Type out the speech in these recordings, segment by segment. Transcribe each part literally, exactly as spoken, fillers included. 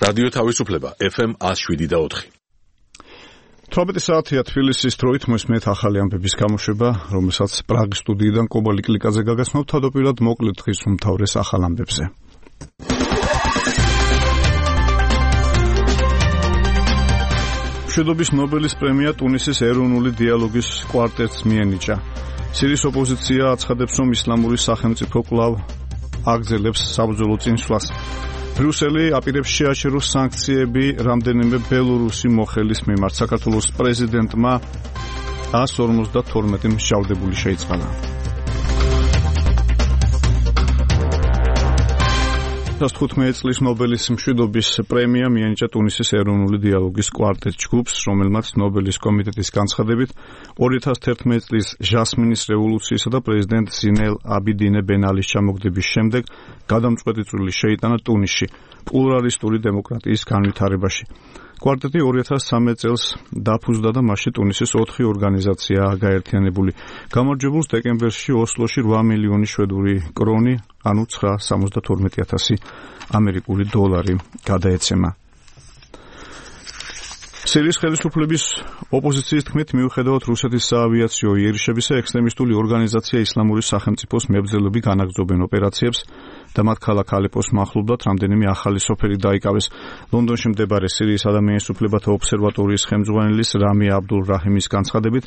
რადიო თავისუფლება ეფ ემ one oh seven და four. თვრამეტი საათია თბილისის დროით მოსმენთ ახალი ამბების გამოშვება, რომელსაც პრაღის სტუდიიდან კობა ლიკლიკაძე გაგაცნობთ თავდაპირველად მოკლედ დღის უმთავრეს ახალ ამბებზე. მშვიდობის ნობელის პრემია ტუნისის ეროვნული დიალოგის კვარტეტს მიენიჭა. სირიის ოპოზიცია აცხადებს, რომ ისლამური სახელმწიფო კვლავ აგრძელებს საბრძოლო წინსვლას. ბრიუსელი აპირებს შეაჩეროს სანქციები რამდენიმე ბელორუსი მოხელის მიმართ. საქართველოს პრეზიდენტმა one hundred forty-two მსჯავრდებული შეიწყალა. ოცდახუთმეტი წლის ნობელის მშვიდობის პრემია მიენიჭა ტუნისის ეროვნული დიალოგის კვარტეტ ჯგუფს, რომელმაც ნობელის კომიტეტის განცხადებით two thousand eleven წლის ჟასმინის რევოლუციისა და პრეზიდენტ ზინელ აბიდინე ბენ ალის ჩამოგდების შემდეგ გადამწყვეტი წვლილი შეიტანა ტუნისში პლურალისტური დემოკრატიის განვითარებაში. კვარტეტი two thousand thirteen წელს დაფუძნდა და მასში ტუნისის ოთხი ორგანიზაციაა გაერთიანებული. გამარჯვებულს დეკემბერში ოსლოში eight მილიონი შვედური კრონი, ანუ nine hundred seventy-two thousand ამერიკული დოლარი გადაეცემა. სირიის ხელისუფლების ოპოზიციის თქმით, მიუხედავად რუსეთის საავიაციო იერიშებისა, ექსტრემისტული ორგანიზაცია ისლამური სახელმწიფოს მებრძოლები განაგრძობენ ოპერაციებს და მათ ქალაქ ალეპოს მახლობლად რამდენიმე ახალი სოფელი დაიკავეს. ლონდონში მდებარე სირიის ადამიანის უფლებათა ობსერვატორიის ხელმძღვანელის რამი აბდულ რაჰიმის განცხადებით,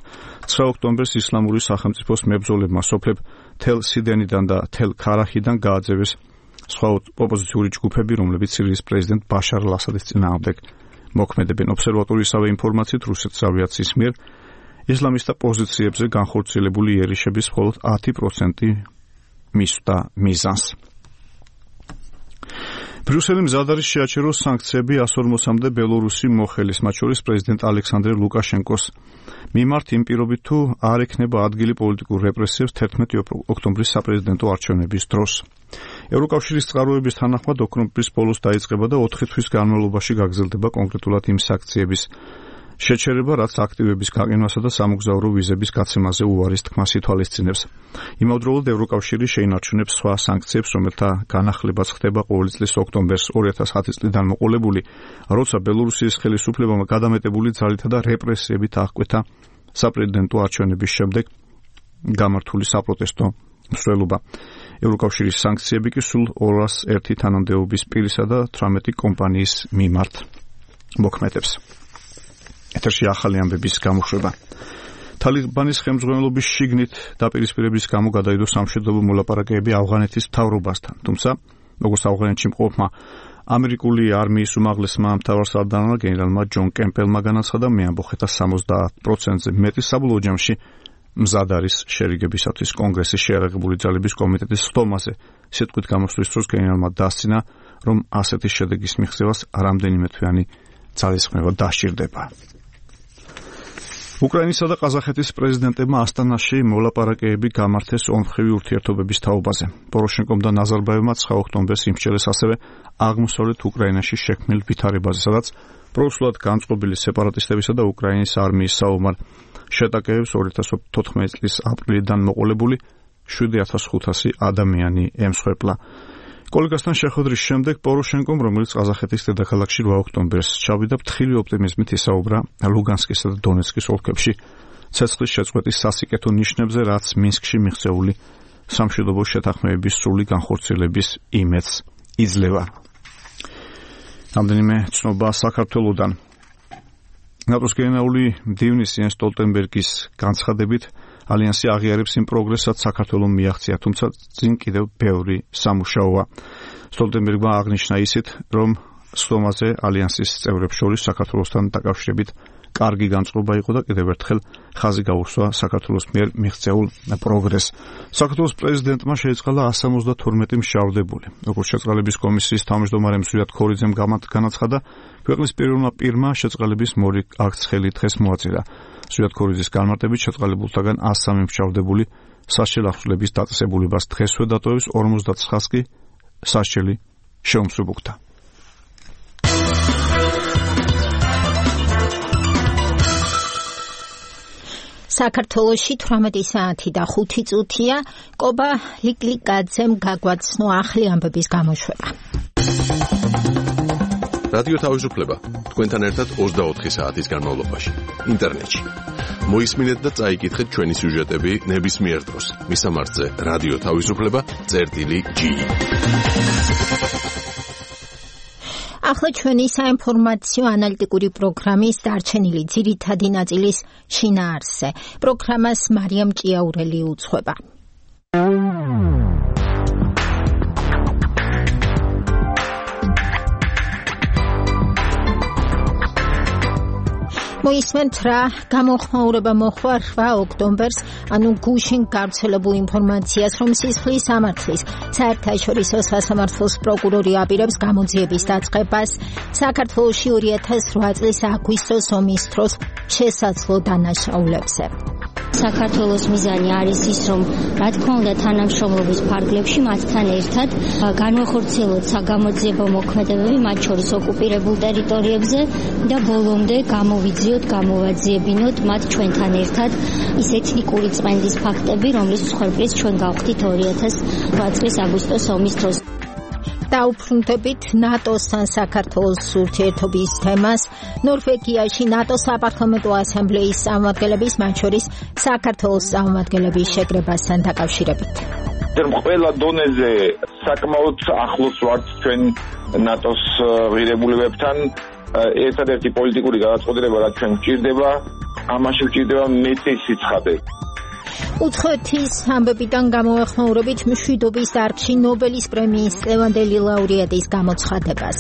nine ოქტომბერს ისლამური სახელმწიფოს მებრძოლებმა სოფლებ თელ სიდენიდან და თელ ქარაჰიდან გააძევეს სხვა ოპოზიციური ჯგუფები, რომლებიც სირიის პრეზიდენტ ბაშარ ალ-ასადის წინააღმდეგ მოქმედებენ. ობსერვატორიისავე ინფორმაციით, რუსეთის ავიაციის მიერ ისლამისტთა პოზიციებზე განხორციელებული იერიშების მხოლოდ ten percent მისვდა მიზანს. ბრიუსელი მზად არის შეაჩეროს სანქციები one hundred forty-მდე ბელორუსი მოხელის, მათ შორის პრეზიდენტ ალექსანდრე ლუკაშენკოს მიმართ იმ პირობით, თუ არ ექნება ადგილი პოლიტიკურ რეპრესიებს eleven ოქტომბრის საპრეზიდენტო არჩევნების დროს. ევროკავშირის წყაროების თანახმად ოქტომბრის ბოლოს დაიწყება და ოთხი თვის განმავლობაში გაგრძელდება კონკრეტულად იმ სანქციების შეჩერება, რაც აქტივების გაყინვასა და სამოგზაურო ვიზების გაცემაზე უარის თქმას ითვალისწინებს. იმავდროულად ევროკავშირი შეინარჩუნებს სხვა სანქციებს, რომელთა განახლებაც ხდება ყოველი წლის ოქტომბერს two thousand ten წლიდან მოყოლებული, როცა ბელორუსიის ხელისუფლებამ გადამეტებული ძალითა და რეპრესიებით აღკვეთა საპრეზიდენტო არჩევნების შემდეგ გამართული საპროტესტო მსვლელობა. ევროკავშირის სანქციები კი სულ two hundred one თანამდებობის პირისა და eighteen კომპანიის მიმართ მოქმედებს. ეთერში ახალი ამბების გამოშვება. თალიბანის ხელმძღვანელობის შიგნით დაპირისპირების გამო გადაიდო სამშვიდობო მოლაპარაკებები ავღანეთის მთავრობასთან. თუმცა, როგორც ავღანეთში მყოფმა ამერიკული არმიის უმაღლესმა მთავარსარდალმა გენერალმა ჯონ კემპელმა განაცხადა, მეამბოხეთა seventy percent-ზე მეტი საბოლოო ჯამში მზად არის შერიგებისათვის კონგრესის შეიარაღებული ძალების კომიტეტის ხტომაზე. სიტყვით გამოსვლის დროს გენერალმა დასცინა, რომ ასეთი შედეგის მიღწევას რამდენიმე თვიანი ძალისხმევა დასჭირდება. უკრაინისა და ყაზახეთის პრეზიდენტებმა ასტანაში მოლაპარაკებები გამართეს ორმხრივი ურთიერთობების თაობაზე. პოროშენკომ და ნაზარბაევმა nine ოქტომბერს იმსჯელეს ასევე აღმოსავლეთ უკრაინაში შექმნილ ვითარებაზე, სადაც პროსულად განწყობილი სეპარატისტებისა და უკრაინის არმიის საომარ შეტაკებებს two thousand fourteen წლის აპრილიდან მოყოლებული seven thousand five hundred ადამიანი ემსხვერპლა. კოლეგასთან შეხვედრის შემდეგ პოროშენკომ, რომელიც ყაზახეთის დედაქალაქში eight ოქტომბერს ჩავიდა, ფრთხილი ოპტიმიზმით ისაუბრა ლუგანსკისა და დონეცკის ოლქებში ცეცხლის შეწყვეტის სასიკეთო ნიშნებზე, რაც მინსკში მიღწეული სამშვიდობო შეთანხმებების სრული განხორციელების იმედს იძლევა. რამდენიმე ცნობა საქართველოდან. ნატოს გენერალური მდივნის იენს სტოლტენბერგის განცხადებით, ალიანსი აღიარებს იმ პროგრესსაც საქართველომ მიაღწია, თუმცა წინ კიდევ ბევრი სამუშაოა. სტოლტენბერგმა აღნიშნა ისიც, რომ სხდომაზე ალიანსის წევრებს შორის საქართველოსთან დაკავშირებით კარგი განწყობა იყო და კიდევ ერთხელ ხაზი გაუსვა საქართველოს მიერ მიღწეულ პროგრესს. საქართველოს პრეზიდენტმა შეიწყალა one hundred seventy-two მსჯავრდებული. როგორც შეწყალების კომისიის თავმჯდომარე მსვლად ქორიძემ განაცხადა, ქვეყნის პირველმა პირმა შეწყალების მორიგ აქტს ხელი დღეს მოაწერა. მსვლად ქორიძის განმარტებით შეწყალებულთაგან one hundred three მსჯავრდებული სასჯელ აღსვლების დაწესებულებას დღესვე დატოვებს, forty-nine-ს კი სასჯელი შეუმსუბუქდა. საქართველოში eighteen საათი და five წუთია. კობა ლიკლიკაძემ გაგვაცნო ახალი ამბების გამოშვება. რადიო თავისუფლება თქვენთან ერთად ოცდაოთხი საათის განმავლობაში ინტერნეტში. მოისმინეთ და წაიკითხეთ ჩვენი სიუჟეტები ნებისმიერ დროს. მისამართზე რადიო თავისუფლება წერტილი ჯი. ახლა ჩვენი საინფორმაციო ანალიტიკური პროგრამის დარჩენილი ძირითადი ნაწილის შინაარსზე. პროგრამას მარიამ ჭიაურელი უძღვება. მოისმენთ რა გამოხმაურება მოხდა რვა ოქტომბერს, ანუ გუშინ გავრცელებულ ინფორმაციას, რომ სისხლის სამართლის საერთაშორისო სასამართლოს პროკურორი აპირებს გამოძიების დაწყებას საქართველოში ორი ათას რვა წლის აგვისტოს ომის დროს შესაძლო დანაშაულებზე. საქართველოს მიზანი არის ის, რომ რა თქმა უნდა თანამშრომლობის ფარგლებში მათთან ერთად განვახორციელოთ საგამოძიებო მოქმედებები მათ შორის ოკუპირებულ ტერიტორიებზე და ბოლომდე გამოვიძიოთ, გამოვაძიებინოთ მათ ჩვენთან ერთად ის ეთნიკური წმენდის ფაქტები, რომლის მსხვერპლიც ჩვენ გავხდით ორი ათას რვა წლის აგვისტოს ომის დროს. დაუბრუნდებით ნატოსთან საქართველოს ურთიერთობის თემას. ნორვეგიაში ნატოს საპარლამენტო ასამბლეის წარმომადგენლების, მათ შორის საქართველოს წარმომადგენლების შეკრებასთან დაკავშირებით. ყველა დონეზე საკმაოდ ახლოს ვართ ჩვენ ნატოს ღირებულებებთან. ერთადერთი პოლიტიკური გადაწყვეტილება, რაც ჩვენ გვჭირდება, ამაში გვჭირდება მეტი სიცხადე. უცხოეთის ამბებიდან გამოეხმაურებით მშვიდობის დარგში ნობელის პრემიის წლევანდელი ლაურეატის გამოცხადებას.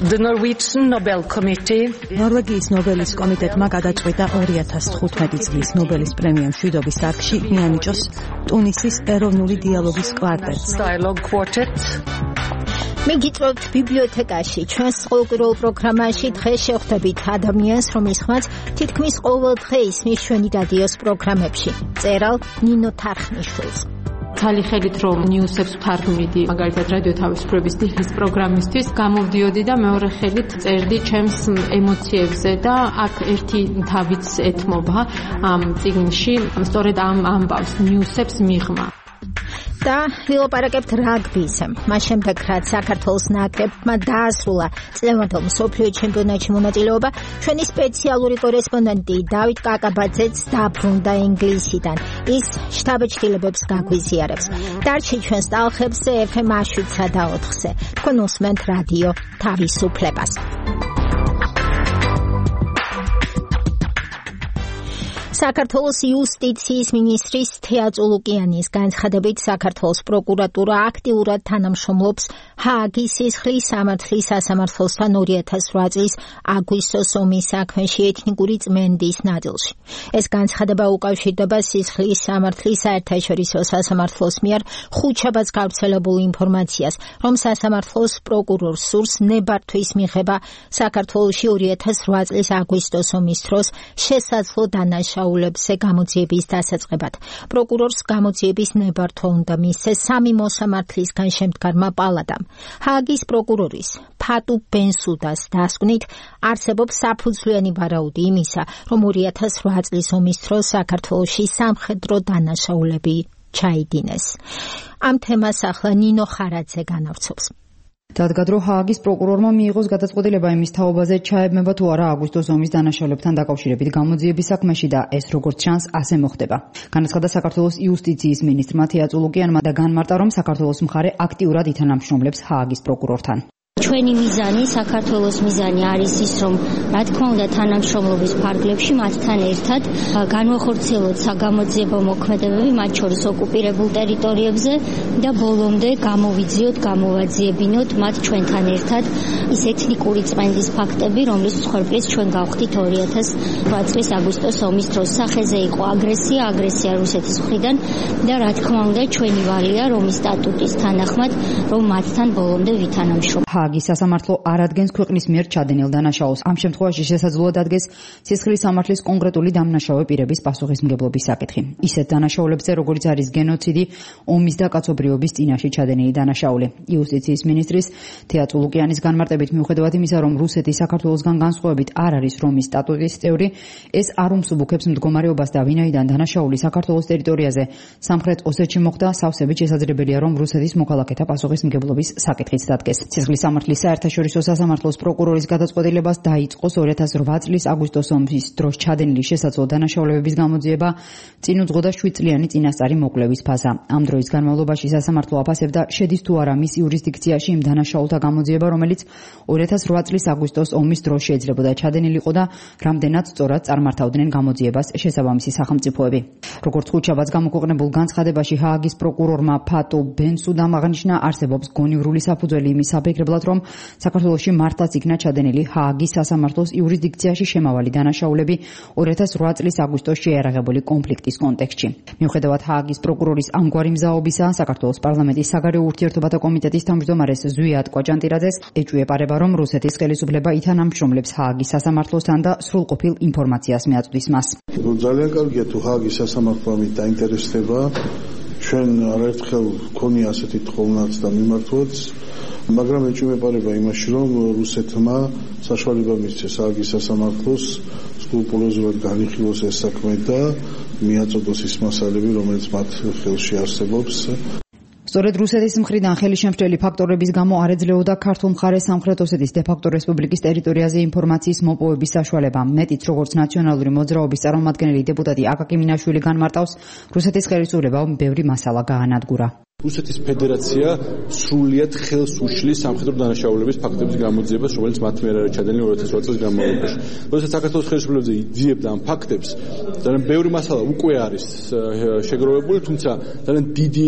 The Norwegian Nobel Committee ნორვეგიის ნობელის კომიტეტმა გადაწყვიტა ორი ათას თხუთმეტი წლის ნობელის პრემია მშვიდობის დარგში მიანიჭოს ტუნისის ეროვნული დიალოგის კვარტეტს. Dialogue Quartet. მიგიწევთ ბიბლიოთეკაში. ჩვენს ყოველკვირეულ პროგრამაში დღეს შევხვდებით ადამიანს, რომლის ხმაც თითქმის ყოველ დღე ისმის ჩვენი რადიოს პროგრამებში. წერალ ნინო თარხნიშვილს. თალი ხელით რომ ნიუსებს ვთარგმნიდი, მაგალითად რადიო თავისუფლების დღის პროგრამისთვის გამოვდიოდი და მეორე ხელით წერდი ჩემს ემოციებზე და აქ ერთი თავიც ეთმობა ამ წიგნში, სწორედ ამ ამბავს ნიუსებს მიღმა. და ვილაპარაკებთ რაგბიზე. მას შემდეგ, რაც საქართველოს ნაკრებმა დაასრულა წლევანდელ მსოფლიო ჩემპიონატში მონაწილეობა, ჩვენი სპეციალური კორესპონდენტი დავით კაკაბაძეც დაბრუნდა ინგლისიდან. ის შთაბეჭდილებებს გაგვიზიარებს. დარჩი ჩვენს ტალხებზე ეფ ემ შვიდსა და ოთხზე. თქვენ უსმენთ რადიო თავისუფლებას. საქართველოს იუსტიციის მინისტრის თეა წულუკიანის განცხადებით საქართველოს პროკურატურა აქტიურად თანამშრომლობს ჰააგის სისხლის სამართლის სასამართლოსთან ორი ათას რვა წლის აგვისტოს ომის საქმეში ეთნიკური წმენდის ნაწილში. ეს განცხადება უკავშირდება სისხლის სამართლის საერთაშორისო სასამართლოს მიერ ხუთშაბათს გავრცელებულ ინფორმაციას, რომ სასამართლოს პროკურორს სურს ნებართვის მიღება საქართველოში ორი ათას რვა წლის აგვისტოს ომის დროს შესაძლო დანაშაულებზე გამოძიების დასაწყებად. პროკურორს გამოძიების ნებართვა უნდა მისცეს სამი მოსამართლისგან შემდგარმა პალატამ. ჰააგის პროკურორის ფატუ ბენსუდას დასკვნით არსებობს საფუძვლიანი ვარაუდი იმისა, რომ ორი ათას რვა წლის ომის დროს საქართველოში სამხედრო დანაშაულები ჩაიდინეს. ამ თემას ახლა ნინო ხარაძე განავრცობს. დადგა, რომ ჰააგის პროკურორმა მიიღოს გადაწყვეტილება იმის თაობაზე, ჩაებმება თუ არა აგვისტოს ომის დანაშაულებთან დაკავშირებით გამოძიების საქმეში და ეს როგორც ჩანს, ასე მოხდება. განაცხადა საქართველოს იუსტიციის მინისტრმა თეა წულუკიანმა და განმარტა, რომ საქართველოს მხარე აქტიურად ითანამშრომლებს ჰააგის პროკურორთან. ჩვენი მიზანი, საქართველოს მიზანი არის ის, რომ რა თქმა უნდა თანამშრომლობის ფარგლებში მათთან ერთად განვახორციელოთ საგამოძიებო მოქმედებები მათ შორის ოკუპირებულ ტერიტორიებზე და ბოლომდე გამოვიძიოთ, გამოვაძიებინოთ მათ ჩვენთან ერთად ის ეთნიკური წმენდის ფაქტები, რომლის მსხვერპლიც ჩვენ გავხდით ორი ათას რვა წლის აგვისტოს ომის დროს. სახეზე იყო აგრესია, აგრესია რუსეთის მხრიდან და რა თქმა უნდა ჩვენი ვალია რომის სტატუტის თანახმად, რომ მათთან ბოლომდე ვითანამშრომლოთ. ჰააგის სასამართლო არ ადგენს ქვეყნის მიერ ჩადენილ დანაშაულს. ამ შემთხვევაში შესაძლოა დადგეს სისხლის სამართლის კონკრეტული დამნაშავე პირების პასუხისმგებლობის საკითხი. ისეთ დანაშაულებზე, როგორც არის გენოციდი, ომის და კაცობრიობის წინაშე ჩადენილი დანაშაული. იუსტიციის მინისტრის თეა წულუკიანის განმარტებით, მიუხედავად იმისა, რომ რუსეთი საქართველოსგან განსხვავებით არ არის რომის სტატუტის წევრი, ეს არ უმსუბუქებს მდგომარეობას და ვინაიდან დანაშაული საქართველოს ტერიტორიაზე სამხრეთ ოსეთში მოხდა, სავსებით შესაძლებელია, რომ რუსეთის მოქალაქეთა პასუხისმგებლობის საკითხიც დადგეს. სისხლის სამართლის საერთაშორისო სასამართლოს პროკურორის გადაწყვეტილებას დაიწყოს ორი ათას ოთხ წლის აგვისტოს ომის დროს ჩადენილი შესაძლო დანაშაულებების გამოძიება, წინ უძღოდა შვიდ წლიანი წინასწარი მოკვლევის ფაზა. ამ დროის განმავლობაში სასამართლო აფასებდა, შედის თუ არა მის იურისდიქციაში იმ დანაშაულთა გამოძიება, რომელიც ორი ათას ოთხ წლის აგვისტოს ომის დროს შეიძლებოდა ჩადენილიყო და რამდენად სწორად წარმართავდნენ გამოძიებას შესაბამისი სახელმწიფოები. როგორც ხუთშაბათს გამოქვეყნებულ განცხადებაში ჰააგის პროკურორმა ფატო ბენსუდამ აღნიშნა, არსებობს გონივრული საფუძველი იმის საფიქრებლად, რომ საქართველოში მართლაც იქნა ჩადენილი ჰააგის სასამართლოს იურისდიქციაში შემავალი დანაშაულები ორი ათას ოთხ წლის აგვისტოს შეიარაღებული კონფლიქტის კონტექსტში. მიუხედავად ჰააგის პროკურორის ამგვარი მზაობისა, საქართველოს პარლამენტის საგარეო ურთიერთობათა კომიტეტის თავმჯდომარეს ზვიად კვაჭანტირაძეს ეჭვიეპარება, რომ რუსეთის ხელისუფლება ითანამშრომლებს ჰააგის სასამართლოსთან და სრულყოფილ ინფორმაციას მიაწვდის მას. ძალიან კარგია თუ ჰააგის სასამართლო ამით დაინტერესდება. ჩვენ არაერთხელ გქონია ასეთი თხოვნაც და მიმართვაც, მაგრამ ეჭვმეპარება იმაში, რომ რუსეთმა საშუალება მისცეს ჰააგის სასამართლოს სკრუპულოზურად განიხილოს ეს საქმე და მიაწოდოს ის მასალები, რომელიც მათ ხელში არსებობს. სწორედ რუსეთის მხრიდან ხელისშემშლელი ფაქტორების გამო არ ეძლეოდა ქართულ მხარეს სამხრეთ ოსეთის დე-ფაქტო რესპუბლიკის ტერიტორიაზე ინფორმაციის მოპოვების საშუალება. მეტიც, როგორც ნაციონალური მოძრაობის წარმომადგენელი დეპუტატი აკაკი მინაშვილი განმარტავს, რუსეთის ხელისუფლებამ ბევრი მასალა გაანადგურა. რუსეთის ფედერაცია სრულიად ხელს უშლის სამხედრო დანაშაულების ფაქტების გამოძიებას, რომელიც მათ მიერ არის ჩადენილი ორი ათას ოთხ წლის განმავლობაში. როდესაც საქართველოს ხელისუფლებაზე იძიებდა ამ ფაქტებს, ძალიან ბევრი მასალა უკვე არის შეგროვებული, თუმცა ძალიან დიდი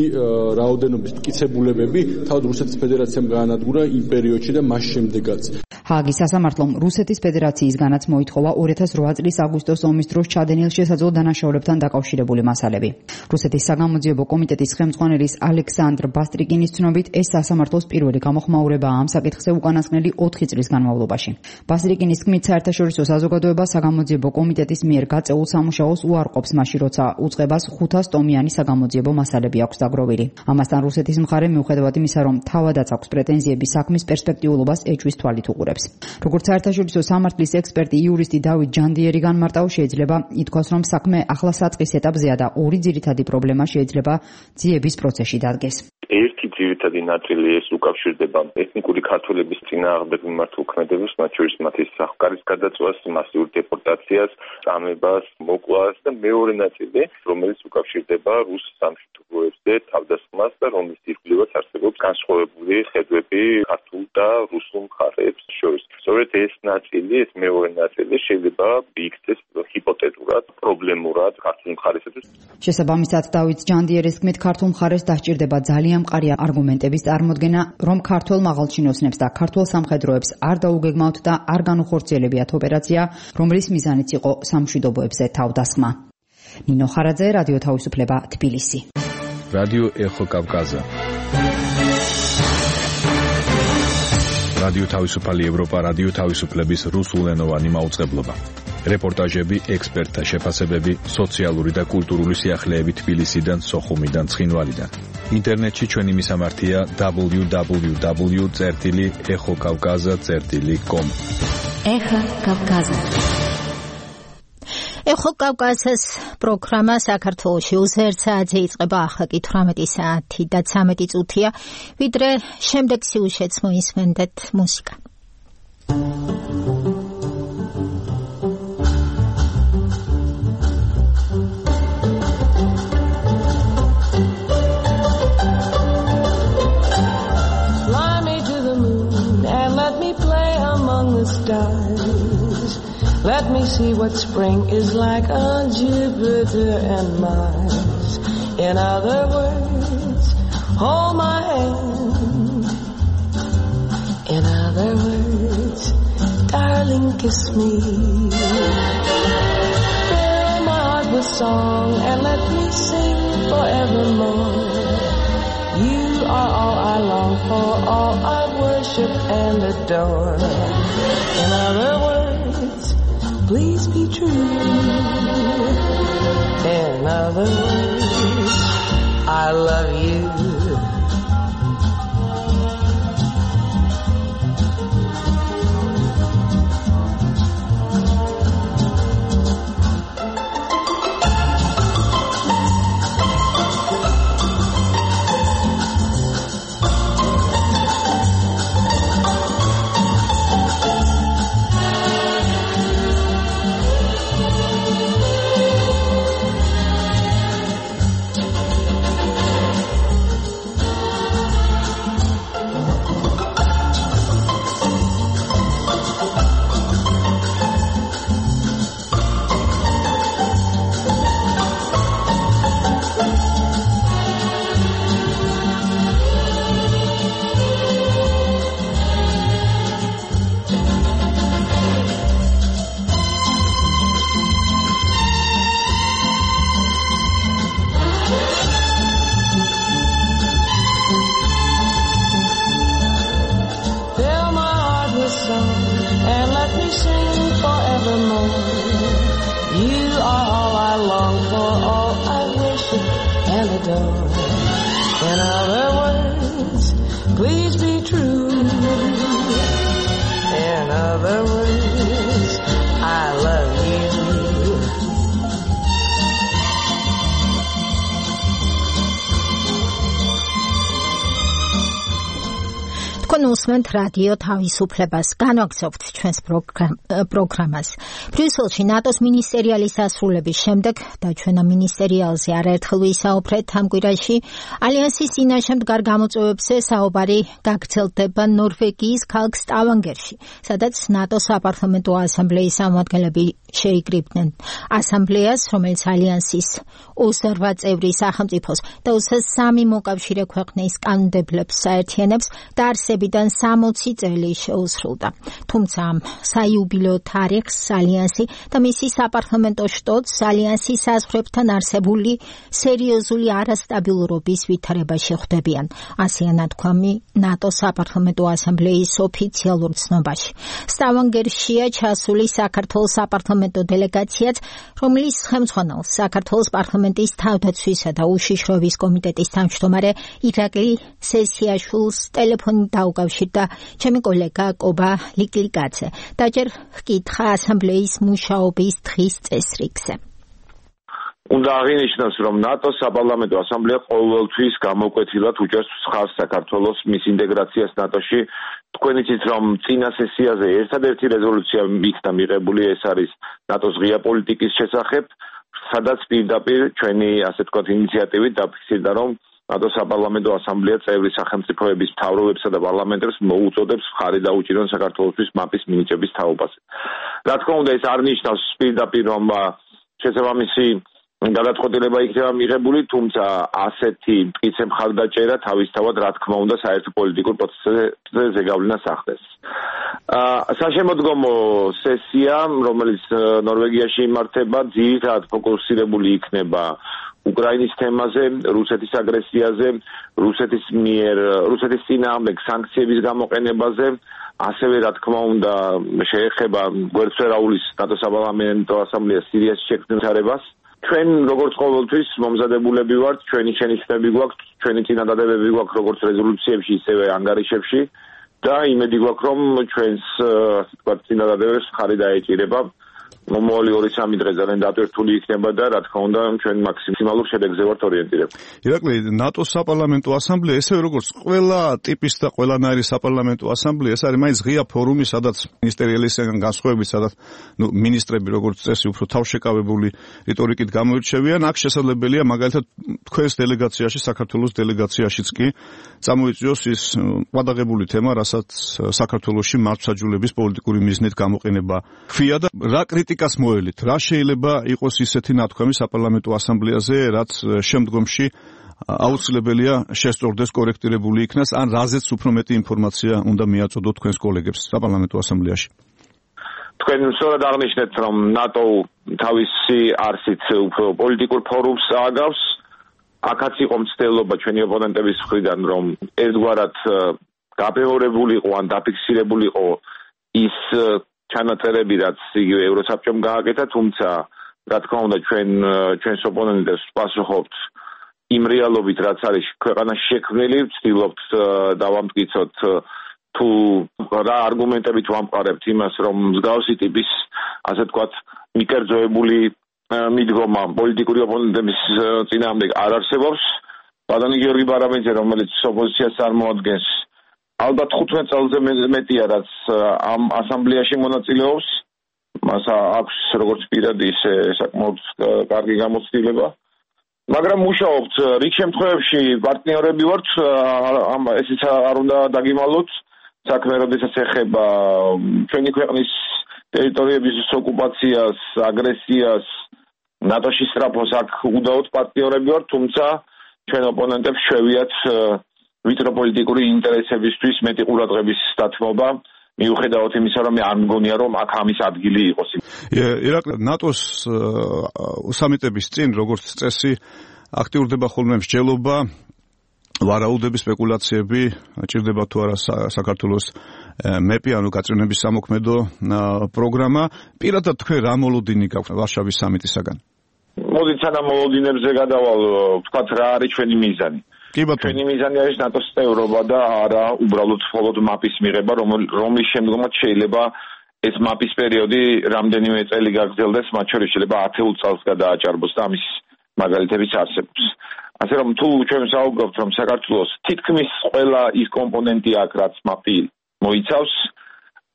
რაოდენობის მტკიცებულებები თავად რუსეთის ფედერაციამ გაანადგურა იმ პერიოდში და მას შემდეგაც. ჰააგის სასამართლომ რუსეთის ფედერაციისგანაც მოითხოვა ორი ათას ოთხ წლის აგვისტოს ომის დროს ჩადენილ შესაძლო დანაშაულებთან დაკავშირებული მასალები. რუსეთის საგამოძიებო კომიტეტის ხელმძღვანელის ალექსანდრ ბასტრიკინის ცნობით, ეს სასამართლოს პირველი გამოხმაურებაა ამ საკითხზე უკანასკნელი ოთხი წლის განმავლობაში. ბასტრიკინის თქმით, საერთაშორისო საზოგადოება საგამოძიებო კომიტეტის მიერ გაწეულ სამუშაოს უარყოფს მაშინ, როცა უწყებას ხუთას ტომიანი საგამოძიებო მასალები აქვს დაგროვილი. ამასთან რუსეთის მხარე მიუხედავად იმისა, რომ თავადაც აქვს პრეტენზიები საქმის პერსპექტიულობას ეჭვის თვალით უყურებს. როგორც საერთაშორისო სამართლის ექსპერტი იურისტი დავით ჯანდიერი განმარტავს, შეიძლება ითქვას, რომ საქმე ახლა საწყის ეტაპზეა და ორი ძირითადი პრობლემა შეიძლება ძიების პროცესში დადგეს. ერთი ძირითადი ნაწილი ეს უკავშირდება ეთნიკური ქართველების წინააღმდეგ მიმართულ ქმედებას, მათ შორის მათი სახკარის გადაწვას, მასიურ დეპორტაციას, წამებას, მოკლას და მეორე ნაწილი, რომელიც უკავშირდება რუს სამშვიდობოებზე თავდასხმას და რომლის ირგვლივაც არსებობს განსხვავებული ხედვები ქართულ და რუსულ მხარეებს შორის. სწორედ ეს ნაწილი, ეს მეორე ნაწილი შეიძლება იქცეს ჰიპოთეტურად, პრობლემურად ქართულ მხარესთვის. შესაბამისად, დავით ჯანდიერის თქმით, ქართულ მხარეს დასჭირდება ძალიან მყარი არგუმენტების წარმოდგენა, რომ ქართველ მაღალჩინოსნებს და ქართულ სამხედროებს არ დაუგეგმავთ და არ განუხორციელებიათ ოპერაცია, რომლის მიზანიც იყო სამშვიდობოებზე თავდასხმა. ნინო ხარაძე, რადიო თავისუფლება, თბილისი. რადიო ეხო კავკაზა. რადიო თავისუფალი ევროპა, რადიო თავისუფლების რუსულენოვანი მაუწყებლობა. რეპორტაჟები, ექსპერტთა შეფასებები, სოციალური და კულტურული სიახლეები თბილისიდან, სოხუმიდან, ცხინვალიდან. ინტერნეტში ჩვენი მისამართია დაბლიუ დაბლიუ დაბლიუ წერტილი ეხო კავკაზა წერტილი კომ. ეხო კავკაზა. ეხო კავკაზას პროგრამა საქართველოში უზერთ საათზე იწყება, ახლა კი თვრამეტი საათი და ცამეტი წუთია, ვიდრე შემდეგ სიუჟეტს მოისმენდეთ მუსიკა. Let me see what spring is like on Jupiter and Mars. In other words, hold my hand. In other words, darling, kiss me. Fill my heart with song and let me sing forevermore. You are all I long for, all I worship and adore. In other words, please be true. In other words, I love you. door. In other words, please be true. In other words, I love you. თქვენ უსმენთ რადიო თავისუფლებას, განვაგრძობთ ჩვენს პროგრამას. ბრიუსელში ნატოს მინისტერიალის დასრულების შემდეგ და ჩვენ ამ მინისტერიალზე არაერთხელ ვისაუბრეთ ამ კვირაში, ალიანსის წინაშე მდგარ გამოწვევებზე საუბარი გაგრძელდება ნორვეგიის ქალაქ სტავანგერში, სადაც ნატოს საპარლამენტო ასამბლეის წარმომადგენლები შეიკრიბნენ ასამბლეას, რომელიც ალიანსის ოცდაორ წევრი სახელმწიფოს და ოცდასამი მოკავშირე ქვეყნის კანონმდებლებს საერთიანებს და არსებიდან სამოცი წელი შეუსრულდა. თუმცა ამ საიუბილეო თარიღს ალიანსი და მისი საპარლამენტო შტოც ალიანსის საზღვრებთან არსებული სერიოზული არასტაბილურობის ვითარებაში ხვდებიან. ასეა ნათქვამი ნატოს საპარლამენტო ასამბლეის ოფიციალურ ცნობაში. სტავანგერშია ჩასული საქართველოს საპარლამენტო დელეგაციაც, რომლის ხელმძღვანელს საქართველოს პარლამენტის თავდაცვისა და უშიშროების კომიტეტის თავმჯდომარე ირაკლი სესიაშვილს ტელეფონით დაუკავშირდა ჩემი კოლეგა კობა ლიკლიკაძე. დაჯერ ჰკითხა ასამბლეის მუშაობის დღის წესრიგზე. უნდა აღინიშნოს, რომ ნატოს საპარლამენტო ასამბლეა ყოველთვის გამოკვეთილად უჭერს მხარს საქართველოს მის ინტეგრაციას ნატოში. თქვენ იცით, რომ წინა სესიაზე ერთადერთი რეზოლუცია იქნა მიღებული, ეს არის ნატოს ღია პოლიტიკის შესახებ, სადაც პირდაპირ ჩვენი ასე ვთქვათ ინიციატივით დაფიქსირდა, რომ ნატოს საპარლამენტო ასამბლეა წევრი სახელმწიფოების მთავრობებსა და პარლამენტებს მოუწოდებს მხარი დაუჭირონ საქართველოსთვის მაპის მინიჭების თაობაზე. რა თქმა უნდა, ეს არ ნიშნავს პირდაპირ, რომ შესაბამისი გადაწყვეტილება იქნება მიღებული, თუმცა ასეთი მტკიცე მხარდაჭერა თავისთავად რა თქმა უნდა საერთო პოლიტიკურ პროცესზე ზეგავლენას ახდენს. საშემოდგომო სესია, რომელიც ნორვეგიაში იმართება, ძირითადად ფოკუსირებული იქნება უკრაინის თემაზე, რუსეთის აგრესიაზე, რუსეთის მიერ, რუსეთის წინააღმდეგ სანქციების გამოყენებაზე, ასევე რა თქმა უნდა შეეხება გვერდსვერავლის ნატოს საპარლამენტო ასამბლეას სირიაში შექმნილ თარებას. ჩვენ როგორც ყოველთვის მომზადებულები ვართ, ჩვენი შენიშვნები გვაქვს, ჩვენი წინადადებები გვაქვს როგორც რეზოლუციებში, ისევე ანგარიშებში და იმედი გვაქვს, რომ ჩვენს ასე ვთქვათ წინადადებებს მხარი დაეჭირება. მომავალი ორი სამი დღე ძალიან დატვირთული იქნება და რა თქმა უნდა ჩვენ მაქსიმალურ შედეგზე ვართ ორიენტირებული. ირაკლი, ნატოს საპარლამენტო ასამბლეა, ესე როგორც ყველა ტიპის და ყველანაირი საპარლამენტო ასამბლეა, ეს არის მაინც ღია ფორუმი, სადაც მინისტერიალისგან განსხვავებით, სადაც ნუ მინისტრები როგორც წესი უფრო თავშეკავებული რიტორიკით გამოირჩევიან, აქ შესაძლებელია მაგალითად თქვენს დელეგაციაში, საქართველოს დელეგაციაშიც კი წამოიწვიოს ის ყადაღებული თემა, რასაც საქართველოში მართლმსაჯულების პოლიტიკური მიზნით გამოყენება ხвия და რა კრიტიკას მოელით, რა შეიძლება იყოს ისეთი ნათქვამი საპარლამენტო ასამბლეაზე, რაც შემდგომში აუცილებელია შესწორდეს, კორექტირებული იქნას, ან რაზეც უფრო მეტი ინფორმაცია უნდა მიაწოდოთ თქვენს კოლეგებს საპარლამენტო ასამბლეაში. თქვენ სწორად აღნიშნეთ, რომ ნატო თავისი არსით უფრო პოლიტიკურ ფორუმს ააგავს. აქაც იყო მცდელობა ჩვენი ოპონენტების მხრიდან, რომ ერთგვარად გაბეორებულიყო ან დაფიქსირებულიყო ის ჩანაწერები, რაც იგივე ევროსაბჭომ გააკეთა, თუმცა რა თქმა უნდა ჩვენ ჩვენს ოპონენტებს ვპასუხობთ იმ რეალობით, რაც არის ქვეყანაში შექმნილი, ვცდილობთ დავამტკიცოთ თუ რა არგუმენტებით ვამყარებთ იმას, რომ მსგავსი ტიპის ასე ვთქვათ მიკერძოებული მიდგომა პოლიტიკური ოპონენტების წინააღმდეგ არ არსებობს. ბატონი გიორგი ბარაბანიძე, რომელიც ოპოზიციას წარმოადგენს, ალბათ ხუთმეტ წელზე მეტია, რაც ამ ასამბლეაში მონაწილეობს. მას აქვს როგორც პირადი, ისე საკმაოდ კარგი გამოცდილება. მაგრამ მუშაობთ რიგ შემთხვევებში პარტნიორები ვართ, ესეც არ უნდა დაგიმალოთ. საქმე როდესაც ეხება ჩვენი ქვეყნის ტერიტორიების ოკუპაციას, აგრესიას, ნატოში სწრაფოს, აქ უდაოდ პარტნიორები ვართ, თუმცა ჩვენ ოპონენტებს შევიათ ვიწრო პოლიტიკური ინტერესებისთვის მეტი ყურადღების დათმობა, მიუხედავად იმისა, რომ არ მგონია, რომ აქ ამის ადგილი იყოს. ირაკლი, ნატოს სამიტების წინ, როგორც წესი, აქტიურდება ხოლმე მსჯელობა, ვარაუდები, სპეკულაციები, ჭირდება თუ არა საქართველოს მეპი, ანუ გაწევნების სამოქმედო პროგრამა. პირადად თქვენ რა მოლოდინი გაქვთ ვარშავის სამიტისაგან? მოდით სანამ მოლოდინებზე გადავალ, ვთქვათ რა არის ჩვენი მიზანი. კი ბატონო. ჩვენი მიზანი არის ნატოს წევრობა და არა უბრალოდ მხოლოდ მაპის მიღება, რომლის შემდგომაც შეიძლება ეს მაპის პერიოდი რამდენიმე წელი გაგრძელდეს, მათ შორის შეიძლება ათეულ წელს გადააჭარბოს და ამის მაგალითებიც არსებობს. ასე რომ თუ ჩვენ ვსაუბრობთ, რომ საქართველოს თითქმის ყველა ის კომპონენტი აქვს, რაც მაპი მოიცავს,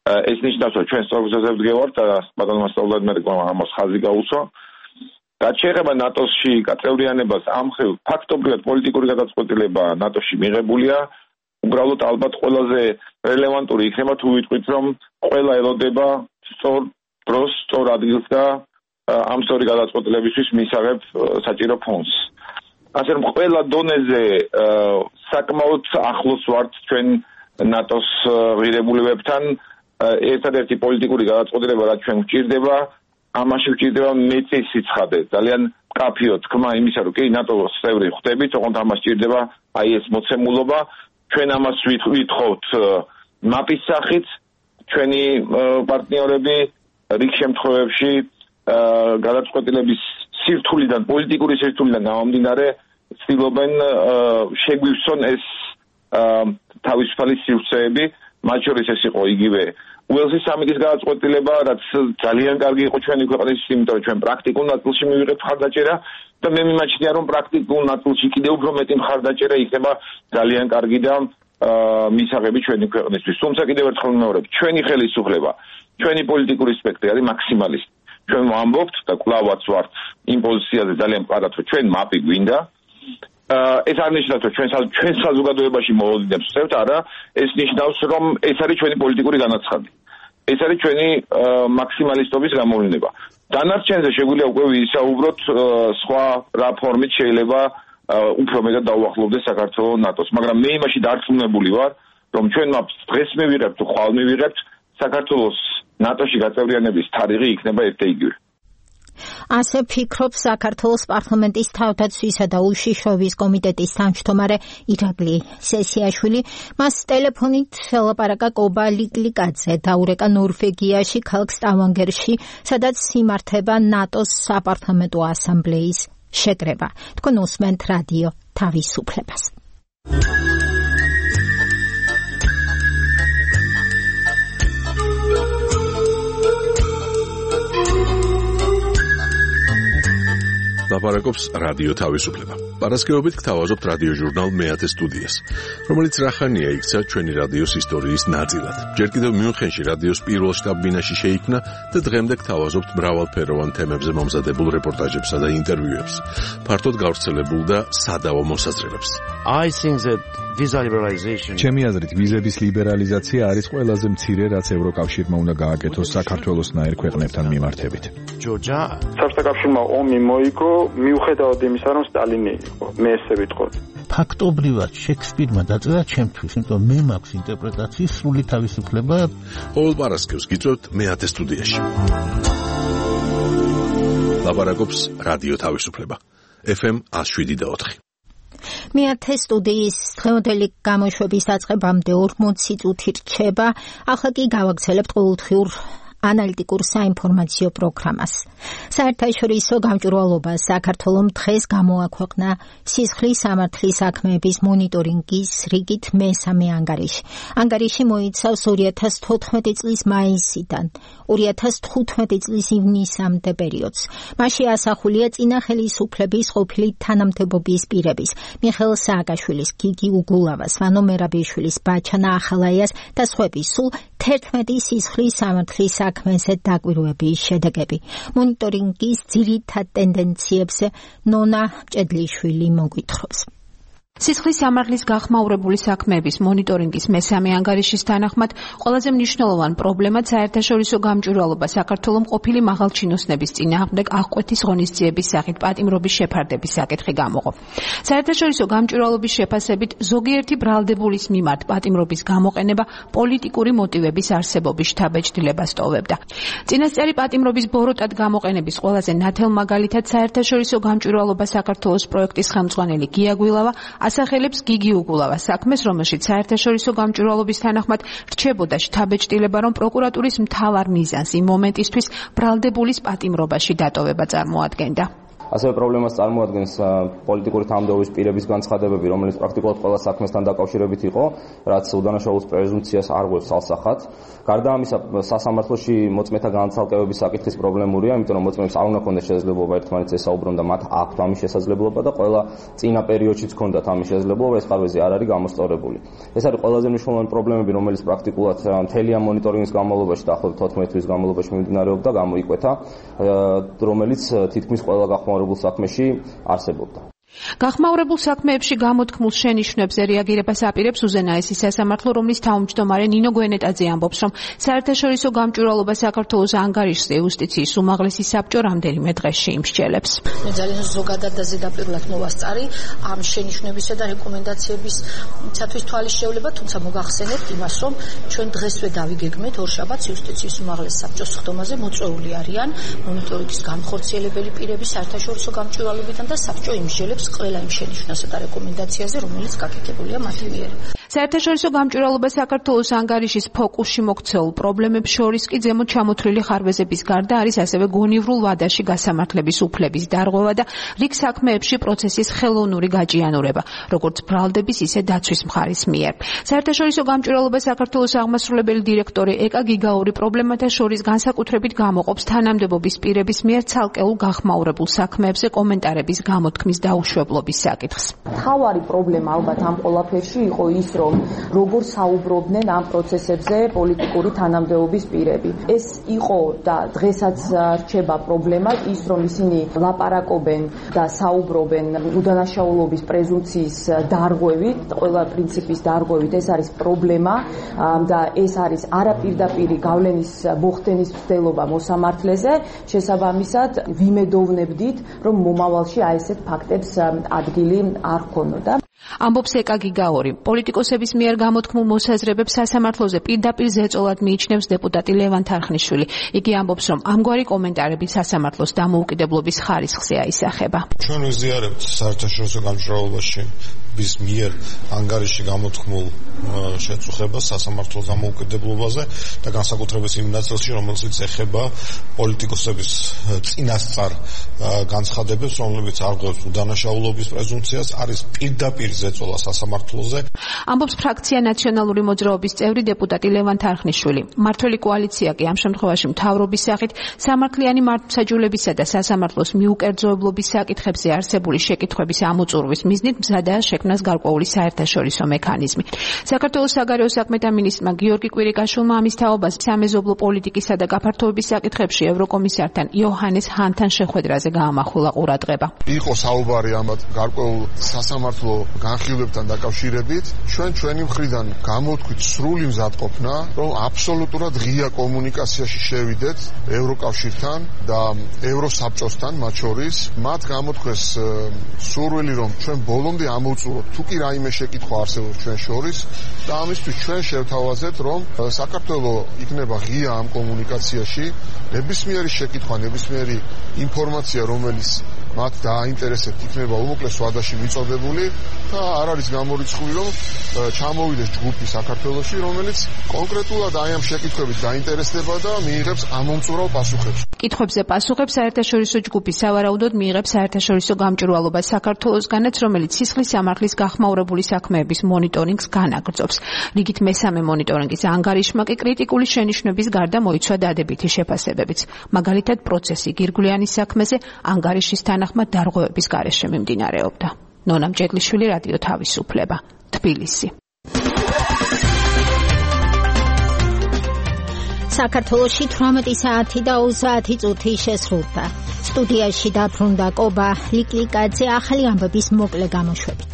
ეს ნიშნავს, რომ ჩვენ სწორგზაზე ვდგევართ და ბატონო მასწავლებლად მე ამას ხაზი გაუსვა. რაც შეეხება ნატოსში გაწევრიანებას, ამ მხრივ ფაქტობრივად პოლიტიკური გადაწყვეტილება ნატოში მიღებულია. უბრალოდ ალბათ ყველაზე რელევანტური იქნება თუ ვიტყვით, რომ ყველა ელოდება სწორ დროს, სწორ ადგილს და ამ სწორი გადაწყვეტილებისთვის მისაღებ საჭირო ფონდს. ასე რომ ყველა დონეზე საკმაოდ ახლოს ვართ ჩვენ ნატოს ღირებულებებთან. ერთადერთი პოლიტიკური გადაწყვეტილება, რაც ჩვენ გვჭირდება, ამაში გვჭირდება მეტი სიცხადე, ძალიან მკაფიო თქმა იმისა, რომ კი ნატოს წევრი ხდებით, თუმცა ამას სჭირდება აი ეს მოცემულობა. ჩვენ ამას ვითხოვთ მაპის სახით, ჩვენი პარტნიორები რიგ შემთხვევებში გადაწყვეტილების სირთულიდან, პოლიტიკური სირთულიდან გამომდინარე, ცდილობენ შეგვივსონ ეს თავისუფალი სივრცეები, მათ შორის ეს იყო იგივე უელსის სამიტის გადაწყვეტილება, რაც ძალიან კარგი იყო ჩვენი ქვეყნის, იმიტომ რომ ჩვენ პრაქტიკულ ნაწილში მივიღეთ მხარდაჭერა და მე მიმაჩნია, რომ პრაქტიკულ ნაწილში კიდევ უფრო მეტი მხარდაჭერა იქნება ძალიან კარგი და მისაღები ჩვენი ქვეყნისთვის. თუმცა კიდევ ერთხელ ვიმეორებ, ჩვენი ხელისუფლება, ჩვენი პოლიტიკური სპექტრი არის მაქსიმალისტი. ჩვენ ვამბობთ და კვლავაც ვართ იმ პოზიციაზე ძალიან მყარად, რომ ჩვენ მაპი გვინდა. ეს არ ნიშნავს, რომ ჩვენ ჩვენ საზოგადოებაში მოლოდინებს ვწევთ, არა, ეს ნიშნავს, რომ ეს არის ჩვენი პოლიტიკური განაცხადი. ეს არის ჩვენი მაქსიმალისტობის გამოვლინება. დანარჩენზე შეგვიძლია უკვე ვისაუბროთ სხვა რა ფორმით შეიძლება უფრო მეტად დაუახლოვდეს საქართველოს ნატოს, მაგრამ მე იმაში დარწმუნებული ვარ, რომ ჩვენ მაპს დღეს მივიღებთ, ხვალ მივიღებთ, საქართველოს ნატოში გაწევრიანების თარიღი იქნება ერთეიგივე. ასე ფიქრობს საქართველოს პარლამენტის თავდაცვისა და უშიშროების კომიტეტის თავმჯდომარე ირაკლი სესიაშვილი. მას ტელეფონით ელაპარაკა კობა ლიკლიკაძე, დაურეკა ნორვეგიაში, ქალაქ სტავანგერში, სადაც იმართება ნატოს საპარლამენტო ასამბლეის შეკრება. თქვენ უსმენთ რადიო თავისუფლებას. ლაპარაკობს რადიო თავისუფლება. პარასკევობით გთავაზობთ რადიო ჟურნალ მეათე სტუდიას, რომელიც რახანია იქცა ჩვენი რადიოს ისტორიის ნაწილად. ჯერ კიდევ მიუნხენში რადიოს პირველ შტაბ-ბინაში შეიქმნა და დღემდე გთავაზობთ მრავალფეროვან თემებზე მომზადებულ რეპორტაჟებსა და ინტერვიუებს, ფართოდ გავრცელებულ და სადავო მოსაზრებებს. I think that visa liberalization ჩემი აზრით ვიზების ლიბერალიზაცია არის ყველაზე მცირე, რაც ევროკავშირმა უნდა გააკეთოს საქართველოსნაირ ქვეყნებთან მიმართებით. ჯორჯა საბჭოთა კავშირმა ომი მოიგო მიუხედავად იმისა, რომ სტალინი იყო, მე ესე ვიტყოდ. ფაქტობრივად შექსპირმა დაწერა ჩემთვის, იმიტომ მე მაქვს ინტერპრეტაციის სრული თავისუფლება. ყოველ პარასკევს გიწევთ მეათე სტუდიაში. ლაპარაკობს რადიო თავისუფლება. ეფ ემ one oh seven point four. მეათე სტუდიის დღევანდელი გამოშვების დაწყებამდე ორმოცი წუთი რჩება, ახლა კი გავაგრძელებთ ყოველდღიურ ანალიტიკურ საინფორმაციო პროგრამას. საერთაშორისო გამჭვირვალობა საქართველომ დღეს გამოაქვეყნა სისხლის სამართლის საქმეების მონიტორინგის რიგით მესამე ანგარიში. ანგარიში მოიცავს ორი ათას თოთხმეტი წლის მაისიდან ორი ათას თხუთმეტი წლის ივნისამდე პერიოდს. მასში ასახულია წინა ხელისუფლების ყოფილი თანამდებობის პირების, მიხეილ სააკაშვილის, გიგი უგულავას, ვანო მერაბიშვილის, ბაჩანა ახალაიას და სხვების სულ თერთმეტი სისხლის სამართლის საქმეზე დაკვირვების შედეგები. მონიტორინგის ძირითად ტენდენციებზე ნონა ჭედლიშვილი მოგვითხრობს. სისხლის სამართლის გახმაურებული საქმეების მონიტორინგის მესამე ანგარიშის თანახმად ყველაზე მნიშვნელოვან პრობლემად საერთაშორისო გამჭვირვალობა საქართველოს ყოფილი მაღალჩინოსნების წინააღმდეგ აღკვეთის ღონისძიების სახით პატიმრობის შეფარდების საკითხი გამოყო. საერთაშორისო გამჭვირვალობის შეფასებით ზოგიერთი ბრალდებულის მიმართ პატიმრობის გამოყენება პოლიტიკური მოტივების არსებობის შთაბეჭდილებას ტოვებდა. წინასწარი პატიმრობის ბოროტად გამოყენების ყველაზე ნათელ მაგალითად საერთაშორისო გამჭვირვალობა საქართველოს პროექტის ხელმძღვანელი გია გვილავა ასახელებს გიგი უგულავას საქმეს, რომელშიც საერთაშორისო გამჭვირვალობის თანახმად რჩებოდა შთაბეჭდილება, რომ პროკურატურის მთავარ მიზანს იმ მომენტისთვის ბრალდებულის პატიმრობაში დატოვება წარმოადგენდა. ასევე პრობლემას წარმოადგენს პოლიტიკური თანამდებობის პირების განცხადებები, რომელიც პრაქტიკულად ყველა საქმესთან დაკავშირებით იყო, რაც უდანაშაულობის პრეზუმპციას არ ღვევს ალსახად. გარდა ამისა, სასამართლოში მოწმეთა განცალკევების საკითხის პრობლემურია, იმიტომ რომ მოწმეებს არ უნდა ქონდეს შესაძლებლობა ერთმანეთს ესაუბრონ და მათ აქვთ ამის შესაძლებლობა და ყველა წინა პერიოდშიც ქონდათ ამის შესაძლებლობა, ეს ხარვეზი არ არის გამოსწორებული. ეს არის ყველაზე მნიშვნელოვანი პრობლემები, რომელიც პრაქტიკულად მთელი ამ მონიტორინგის განმავლობაში, დაახლოებით თოთხმეტი თვის განმავლობაში მიმდინარეობდა, გამოიკვეთა, რომელიც თითქმის ყველა გახმაურებულ საქმეში არსებობდა. გახმაურებულ საქმეებში გამოთქმულ შენიშვნებზე რეაგირებას აპირებს უზენაესი სასამართლო, რომლის თავმჯდომარე ნინო გვენეტაძე ამბობს, რომ საერთაშორისო გამჭვირვალობა საქართველოს ანგარიშზე იუსტიციის უმაღლესი საბჭო რამდენიმე დღეში იმსჯელებს. მე ძალიან ზოგადად და ზედაპირულად მოვასწარი ამ შენიშვნებისა და რეკომენდაციებისათვის თვალის შევლება, თუმცა მოგახსენებთ იმას, რომ ჩვენ დღესვე დავიგეგმეთ ორშაბათს იუსტიციის უმაღლეს საბჭოს ხდომაზე მოწვეული არიან მონიტორინგის განხორციელებელი პირები საერთაშორისო გამჭვირვალობიდან და საბჭო იმსჯელებს ყველა იმ შენიშვნასა და რეკომენდაციაზე, რომელიც გაკეთებულია მათი მიერ. საერთაშორისო გამჭვირვალობა საქართველოს ანგარიშის ფოკუსში მოქცეულ პრობლემებს შორის კი ზემოთ ჩამოთვლილი ხარვეზების გარდა არის ასევე გონივრულ ვადაში გასამართლების უფლების დარღვევა და რიგ საქმეებში პროცესის ხელოვნური გაჭიანურება, როგორც ბრალდების, ისე დაცვის მხარის მიერ. საერთაშორისო გამჭვირვალობა საქართველოს აღმასრულებელი დირექტორი ეკა გიგაური პრობლემათა შორის განსაკუთრებით გამოყოფს თანამდებობის პირების მიერ ცალკეულ გახმაურებულ საქმეებზე კომენტარების გამოთქმის დაუშვებლობის საკითხს. თავარი პრობლემა ალბათ ამ ყველაფერში იყო ის, რომ როგორ საუბრობდნენ ამ პროცესებზე პოლიტიკური თანამდებობის პირები. ეს იყო და დღესაც რჩება პრობლემა ის, რომ ისინი ლაპარაკობენ და საუბრობენ უდანაშაულობის პრეზუმპციის დარღვევით, ყველა პრინციპის დარღვევით. ეს არის პრობლემა და ეს არის არაპირდაპირი გავლენის მოხდენის მცდელობა მოსამართლეზე. შესაბამისად, ვიმედოვნებდით, რომ მომავალში აი ესეთ ფაქტებს ადგილი არ ქონოდა. ამბობს ეკა გიგაური. პოლიტიკოსების მიერ გამოთქმულ მოსაზრებებს სასამართლოზე პირდაპირ ზეწოლად მიიჩნევს დეპუტატი ლევან თარხნიშვილი. იგი ამბობს, რომ ამგვარი კომენტარები სასამართლოს დამოუკიდებლობის ხარისხზე აისახება. ჩვენ ვიზიარებთ საერთაშორისო გამჭვირვალობაში bis მიერ ანგარიში გამოთქმულ შეწუხებას სასამართლოს დამოუკიდებლობაზე და განსაკუთრებით იმ ნაწილში, რომელსაც ეხება პოლიტიკოსების წინასწარ განცხადებებს, რომლებიც არღვევს უდანაშაულობის პრეზუმპციას, არის პირდაპირ ზეწოლა სასამართლოზე. ამბობს ფრაქცია ნაციონალური მოძრაობის წევრი დეპუტატი ლევან თარხნიშვილი. მმართველი კოალიცია კი ამ შემთხვევაში მთავრობის სახით სამართლიანი მართლმსაჯულებისა და სასამართლოს მიუკერძოებლობის საკითხებზე არსებული შეკითხვების ამოწურვის მიზნით მზადაა შექმნას გარკვეული საერთაშორისო მექანიზმი. საქართველოს საგარეო საქმეთა მინისტრმა გიორგი კვირიკაშვილმა ამის თაობას სამეზობლო პოლიტიკისა და გაფართოების საკითხებში ევროკომისართან იოჰანეს ჰანთან შეხვედრაზე გაამახვილა ყურადღება. იყო საუბარი ამათ გარკვეულ სასამართლო განხილვებთან დაკავშირებით. ჩვენ ჩვენი მხრიდან გამოთქვით სრული მზადყოფნა, რომ აბსოლუტურად ღია კომუნიკაციაში შევიდეთ ევროკავშირთან და ევროსაბჭოსთან მათ შორის. მათ გამოთქვეს სურვილი, რომ ჩვენ ბოლომდე ამოვწუროთ თუ კი რაიმე შეკითხვა არსებობს ჩვენ შორის და ამისთვის ჩვენ შევთავაზეთ, რომ საქართველოს იქნება ღია ამ კომუნიკაციაში, ნებისმიერი შეკითხვა, ნებისმიერი ინფორმაცია, რომელიც მათ დააინტერესებთ, იქნება უმოკლეს ვადაში მიწოდებული და არ არის გამორიცხული, რომ ჩამოვიდეს ჯგუფი საქართველოში, რომელიც კონკრეტულად აი ამ შეკითხვებით დაინტერესდება და მიიღებს ამომწურავ პასუხებს. კითხვებზე პასუხებს საერთაშორისო ჯგუფი სავარაუდოდ მიიღებს საერთაშორისო გამჭვირვალობა საქართველოსგანაც, რომელიც სისხლის სამართლის გახმაურებული საქმეების მონიტორინგს განაგრძობს. რიგით მესამე მონიტორინგის ანგარიშმა კი კრიტიკული შენიშვნების გარდა მოიცვა დადებითი შეფასებებიც. მაგალითად, პროცესი გირგვლიანის საქმეზე ანგარიშის თანახმად დარღვევების გარეშე მიმდინარეობდა. ნონა მჭედლიშვილი, რადიო თავისუფლება, თბილისი. საქართველოში თვრამეტი საათი და ოცდაათი წუთი შესრულდა. სტუდიაში დაბრუნდა კობა ლიკლიკაძე, ახალი ამბების მოკლე გამოშვებით.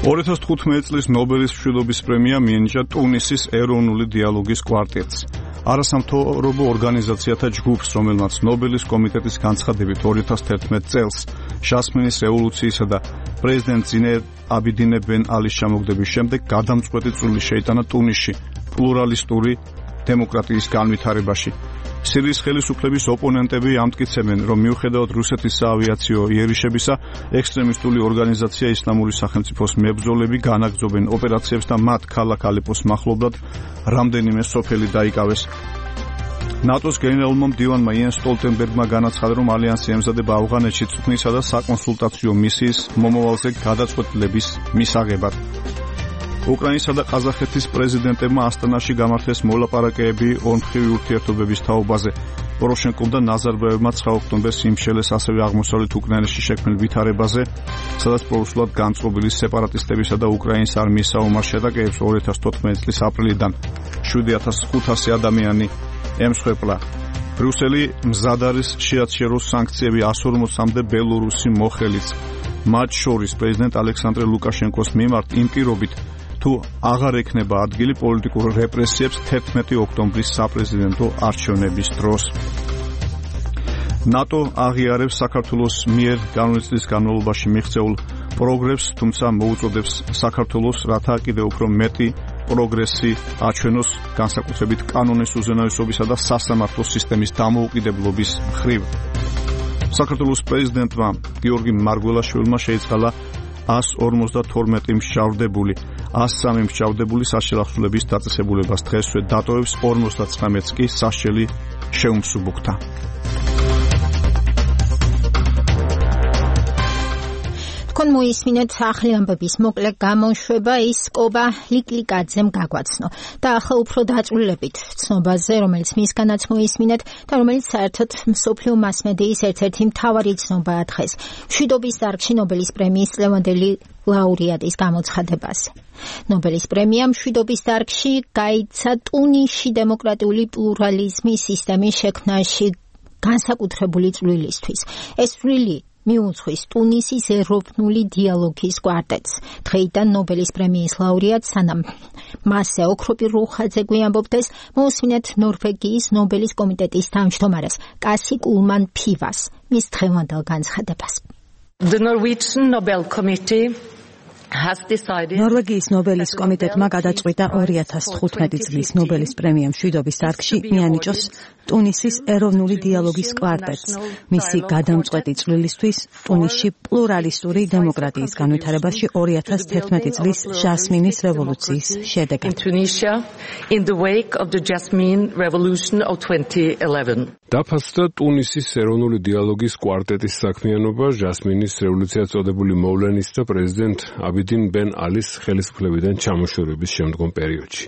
ორი ათას თხუთმეტი წლის ნობელის მშვიდობის პრემია მიენიჭა ტუნისის ეროვნული დიალოგის კვარტეტს. არასამთავრობო ორგანიზაციათა ჯგუფს, რომელმაც ნობელის კომიტეტის განცხადებით ორი ათას თერთმეტ წელს ჟასმინის რევოლუციისა და პრეზიდენტ ზინე აბიდინე ბენ ალის ჩამოგდების შემდეგ გადამწყვეტი წვლილი შეიტანა ტუნისში პლურალისტური დემოკრატიის განვითარებაში. სირიის ხელისუფლების ოპონენტები ამტკიცებენ, რომ მიუხედავად რუსეთის საავიაციო იერიშებისა, ექსტრემისტული ორგანიზაცია ისლამური სახელმწიფოს მებრძოლები განაგრძობენ ოპერაციებს და მათ ქალაქ ალეპოს მახლობლად რამდენიმე სოფელი დაიკავეს. ნატოს გენერალურმა მდივანმა იენ სტოლტენბერგმა განაცხადა, რომ ალიანსი ემზადება ავღანეთში წვრთნისა და საკონსულტაციო მისიის მომავალზე გადაწყვეტილების მისაღებად. უკრაინისა და ყაზახეთის პრეზიდენტებმა ასტანაში გამართეს მოლაპარაკებები ორმხრივი ურთიერთობების თაობაზე. პოროშენკომ და ნაზარბაევმა ცხრა ოქტომბერს იმშელეს ასევე აღმოსავლეთ უკრაინაში შექმნილ ვითარებაზე, სადაც პრორუსულად განწყობილი სეპარატისტებისა და უკრაინის არმიის საომარ შეტაკებებს ორი ათას თოთხმეტი წლის აპრილიდან შვიდი ათას ხუთასი ადამიანი ემსხვერპლა. ბრიუსელი მზად არის შეაჩეროს სანქციები εκατს ორმოცამდე ბელორუსი მოხელიც, მათ შორის პრეზიდენტ ალექსანდრე ლუკაშენკოს მიმართ იმ პირობით, თუ აღარ ექნება ადგილი პოლიტიკურ რეპრესიებს თერთმეტი ოქტომბრის საპრეზიდენტო არჩევნების დროს. ნატო აღიარებს საქართველოს მიერ განვლილი წლის განმავლობაში მიღწეულ პროგრესს, თუმცა მოუწოდებს საქართველოს, რათა კიდევ უფრო მეტი პროგრესი აჩვენოს განსაკუთრებით კანონის უზენაესობისა და სასამართლო სისტემის დამოუკიდებლობის მხრივ. საქართველოს პრეზიდენტმა გიორგი მარგველაშვილმა შეიწყალა εκατს ორმოცდათორმეტი მსჯავრდებული, εκατს სამი მსჯავრდებული საშელახსოვრების დაწესებულებას დღესვე დატოვებს, ორმოცდათხრამეტს კი სასჯელი შეუმსუბუქდა. თქვენ მოისმინეთ ახალი ამბების მოკლე გამოშვება, ის კობა ლიკლიკაძემ გაგვაცნო და ახლა უფრო დაწვრილებით ცნობაზე, რომელიც მისგანაც მოისმინეთ და რომელიც საერთოდ მსოფლიო მასმედიის ერთ-ერთი მთავარი ცნობაა დღეს, მშვიდობის დარგში ნობელის პრემიის წლევანდელი ლაურეატის გამოცხადებაზე. ნობელის პრემია მშვიდობის დარგში გაიცა ტუნისში დემოკრატიული პლურალიზმის სისტემის შექმნაში განსაკუთრებული წვლილისთვის. ეს წვლილი მიუძღვის ტუნისის ეროვნული დიალოგის კვარტეტს. დღეიდან ნობელის პრემიის ლაურეატს, სანამ მასზე ოქროპირ რუხაძე გვიამბობდეს, მოусმინეთ ნორვეგიის ნობელის კომიტეტის თავმჯდომარეს კასი კულმან ფივას მის დღევანდელ განცხადებას. The Norwegian Nobel Committee ნორვეგიის ნობელის კომიტეტმა გადაწყვიტა ორი ათას თხუთმეტი წლის ნობელის პრემია მშვიდობის დარგში მიანიჭოს ტუნისის ეროვნული დიალოგის კვარტეტს, მისი გადამწყვეტი წვლილისთვის ტუნისში პლურალისტური დემოკრატიის განვითარებაში ორი ათას თერთმეტი წლის ჟასმინის რევოლუციის შედეგად. დაფასდა ტუნისის ეროვნული დიალოგის კვარტეტის საქმიანობა ჟასმინის რევოლუციას წოდებული მოვლენის და პრეზიდენტ აბიდინ ბენ ალის ხელისუფლებიდან ჩამოშორების შემდგომ პერიოდში.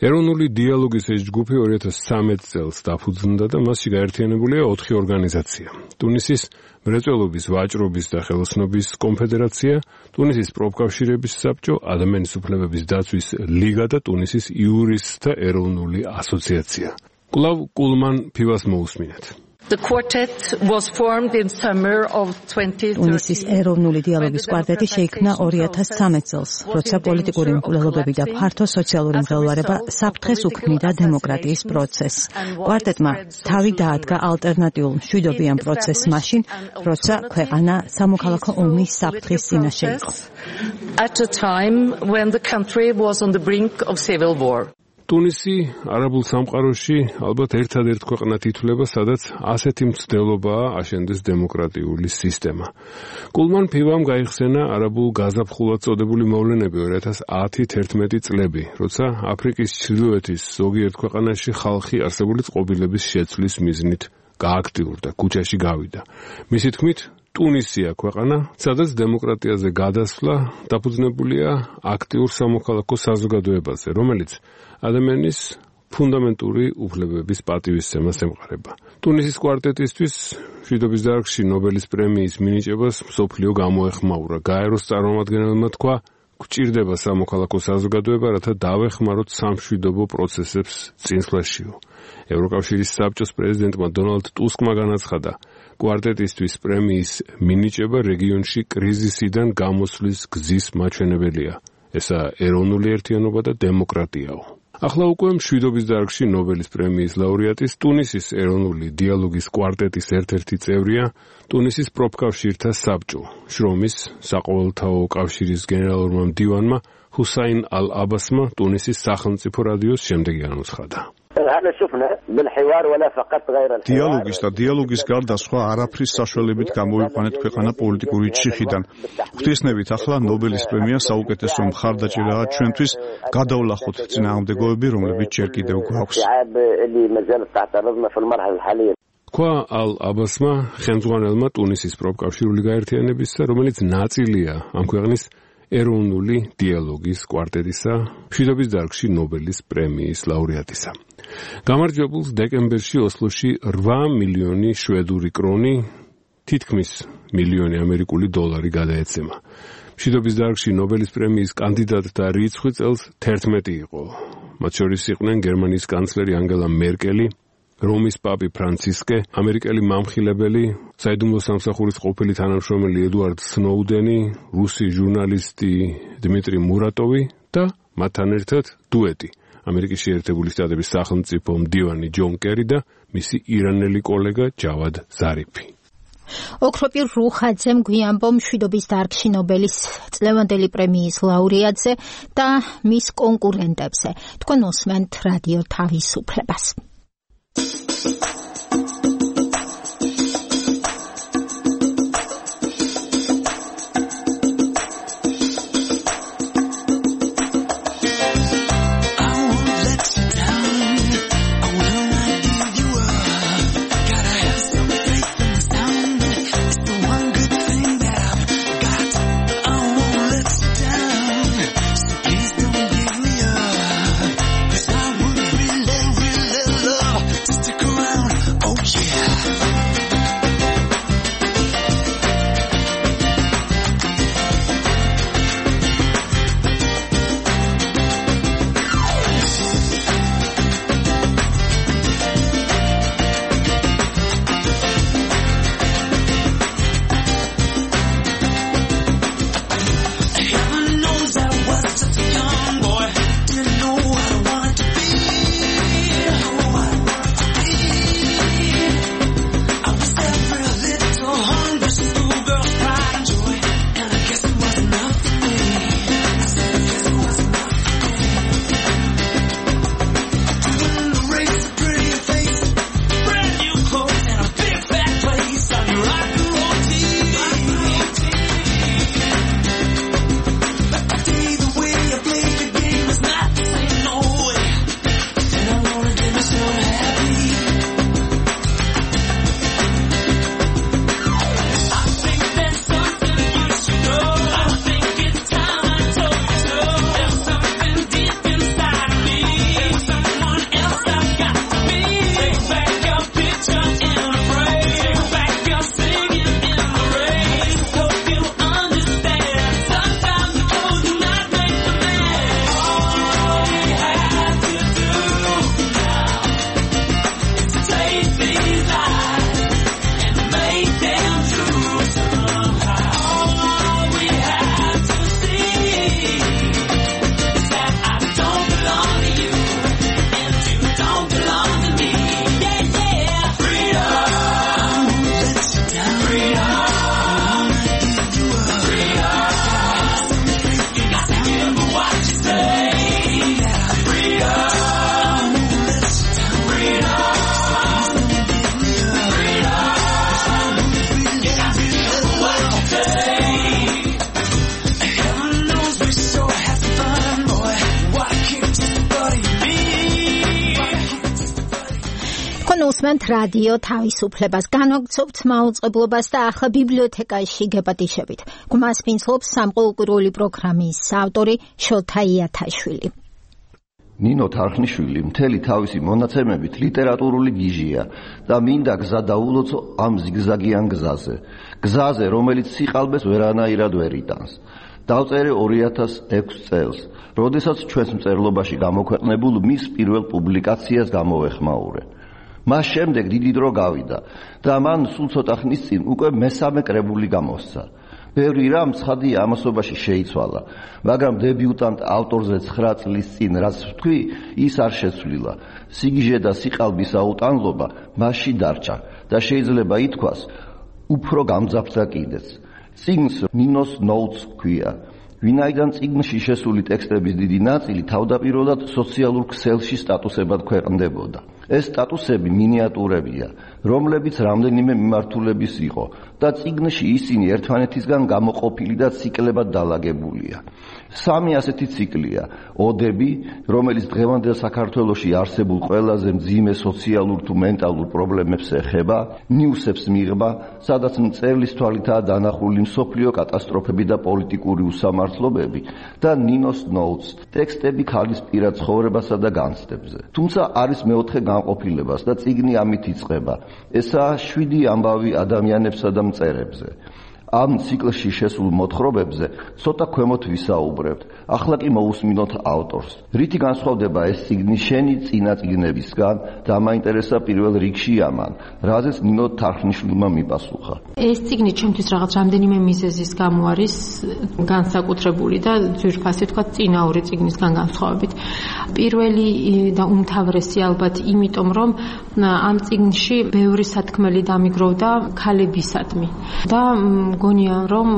ეროვნული დიალოგის ეს ჯგუფი ორი ათას ცხრამეტ წელს დაფუძნდა და მასში გაერთიანებულია ოთხი ორგანიზაცია. ტუნისის მრეწველობის, ვაჭრობის და ხელოსნობის კონფედერაცია, ტუნისის პროფკავშირების საბჭო, ადამიანის უფლებების დაცვის ლიგა და ტუნისის იურისტთა ეროვნული ასოციაცია. კვლავ კულმან ფივას მოусმინეთ. The quartet was formed in summer of twenty thirteen. ტუნისის ეროვნული დიალოგის კვარტეტი შეიქმნა ორი ათას ცხრამეტ წელს, როცა პოლიტიკური მკვლელობები და ფართო სოციალური მღელვარება საფრთხეს უქმნიდა დემოკრატიის პროცესს. კვარტეტმა თავი დაადგა ალტერნატიულ მშვიდობიან პროცესს მაშინ, როცა ქვეყანა სამოქალაქო ომის საფრთხის წინაშე იყო. At a time when the country was on the brink of civil war. ტუნისი არაბულ სამყაროში ალბათ ერთადერთ ქვეყნად ითვლება, სადაც ასეთი მცდელობაა აშენდეს დემოკრატიული სისტემა. კულმან ფივამ გაიხსენა არაბულ გაზაფხულად წოდებული მოვლენები ორი ათას ათი თერთმეტი წლები, როცა აფრიკის ჩრდილოეთის ზოგიერთ ქვეყანაში ხალხი არსებული წყობილების შეცვლის მიზნით გააქტიურდა, ქუჩაში გავიდა. მისი თქმით, ტუნისია ქვეყანა, სადაც დემოკრატიაზე გადასვლა დაფუძნებულია აქტიურ სამოქალაქო საზოგადოებაზე, რომელიც ადამიანის ფუნდამენტური უფლებების პატივისცემას ემყარება. ტუნისის კვარტეტისთვის მშვიდობის დარგში ნობელის პრემიის მინიჭებას მსოფლიო გამოეხმაურა. გაეროს წარმომადგენელმა თქვა, გვჭირდება სამოქალაქო საზოგადოება, რათა დავეხმაროთ სამშვიდობო პროცესებს წინსვლაშიო. ევროკავშირის საბჭოს პრეზიდენტმა დონალდ ტუსკმა განაცხადა, კვარტეტისთვის პრემიის მინიჭება რეგიონში კრიზისიდან გამოსვლის გზის მაჩვენებელია. ესაა ეროვნული ერთიანობა და დემოკრატიაო. ახლა უკვე მშვიდობის დარგში ნობელის პრემიის ლაურეატის ტუნისის ეროვნული დიალოგის კვარტეტის ერთ-ერთი წევრია ტუნისის პროფკავშირთა საბჭო. შრომის საყოველთაო კავშირის გენერალურმა მდივანმა ჰუსაინ ალ-აბასმა ტუნისის სახელმწიფო რადიოს შემდეგი განუცხადა. هذا شفنا بالحوار ولا فقط غير الحوار დიალოგის და დიალოგის გარდა სხვა არაფრის საშუალებით გამოიყვანეთ ქვეყანა პოლიტიკური ჩიხიდან. ღვთისმებით ახლა ნობელის პრემია საუკეთესო მხარდაჭერაა ჩვენთვის, გადავლახოთ წინააღმდეგოები, რომლებიც ჯერ კიდევ გვაქვს. ქვა ალ-აბასმა ხელმძღვანელმა ტუნისის პროფკავშირული გაერთიანებისა, რომელიც ნაწილია ამ ქვეყნის ეროვნული დიალოგის კვარტეტისა, მშვიდობის დარგში ნობელის პრემიის ლაურეატისა. გამარჯვებულს დეკემბერში ოსლოში რვა მილიონი შვედური კრონი, თითქმის მილიონი ამერიკული დოლარი გადაეცემა. მშვიდობის დარგში ნობელის პრემიის კანდიდატთა რიცხვი წელს თერთმეტი იყო. მათ შორის იყვნენ გერმანიის კანცლერი ანგელა მერკელი, რომის პაპი ფრანცისკე, ამერიკელი მამხილებელი, საიდუმლო სამსახურის ყოფილი თანამშრომელი ედუარდ სნოუდენი, რუსი ჟურნალისტი დმიტრი მურატოვი და მათთან ერთად დუეტი, ამერიკის შეერთებული შტატების სახელმწიფო მდივანი ჯონ კერი და მისი ირანელი კოლეგა ჯავად ზარიფი. ოქროპირ რუხაძემ გვიამბო მშვიდობის დარგში ნობელის წლევანდელი პრემიის ლაურეატზე და მის კონკურენტებზე. თქვენ უსმენთ რადიო თავისუფლებას. უსმენთ რადიო თავისუფლებას, განვაგრძობთ მაუწყებლობას და ახლა ბიბლიოთეკაში გეპატიშებით. გვამს ფინსლობს სამყუროური პროგრამის ავტორი შოთა იათაშვილი. ნინო თარხნიშვილი მთელი თავისი მონაცემებით ლიტერატურული გიჟია და მინდა გზა დაულოცო ამ ზიგზაგიან გზაზე. გზაზე, რომელიც სიყალბეს ვერანაირად ვერ იტანს. დავწერე ორი ათას ექვსი წელს, როდესაც ჩვენს მწერლობაში გამოქვეყნებულ მის პირველ პუბლიკაციას გამოვეხმაურე. მას შემდეგ დიდი დრო გავიდა და მან სულ ცოტა ხნის წინ უკვე მესამე კრებული გამოსცა. ბევრი რამ ცხადია ამასობაში შეიცვალა, მაგრამ დებიუტანტ ავტორზე ცხრა წლის წინ რაც ვთქვი, ის არ შეცვლილა. სიგიჟე და სიყალბის აუტანლობა მასში დარჩა და შეიძლება ითქვას, უფრო გამძაფრდა კიდეც. წიგნს ნინოს ნოუთს ჰქვია. ვინაიდან წიგნში შესული ტექსტების დიდი ნაწილი თავდაპირველად სოციალურ ქსელში სტატუსებად ქვეყნდებოდა. ეს სტატუსები მინიატურებია, რომლებიც რამდენიმე მიმართულების იყო და წიგნში ისინი ერთმანეთისგან გამოყოფილი და ციკლებად დალაგებულია. სამი ასეთი ციკლია: ოდები, რომელიც დღევანდელ საქართველოში არსებულ ყველაზე მძიმე სოციალურ თუ მენტალურ პრობლემებს ეხება, ნიუსებს მიღება, სადაც მწერლის თვალითაა დანახული მსოფლიო კატასტროფები და პოლიტიკური უსამართლობები და ნინოს ნოუთს, ტექსტები ქალის პირად ცხოვრებასა და განცდებზე. თუმცა არის მეოთხე განყოფილებას და წიგნი ამით იწყება. ესაა შვიდი ამბავი ადამიანებსა და მწერებზე. ამ ციკლში შესულ მოთხრობებზე ცოტა ქვემოთ ვისაუბრებთ. ახლა კი მოусმინოთ ავტორს. რითი განსხვავდება ეს წიგნი შენი წინა წიგნებისგან? დამაინტერესა პირველ რიგში ამან, რაზეც ნინო თარხნიშვილმა მიპასუხა. ეს წიგნი ჩემთვის რაღაც რამდენიმე მიზეზის გამო არის განსაკუთრებული და ძვირფასი თქვა წინაური წიგნისგან განსხვავებით. პირველი და უმთავრესი ალბათ იმიტომ, რომ ამ წიგნში ბევრი სათქმელი დამიგროვდა ქალებისადმი და გონია რომ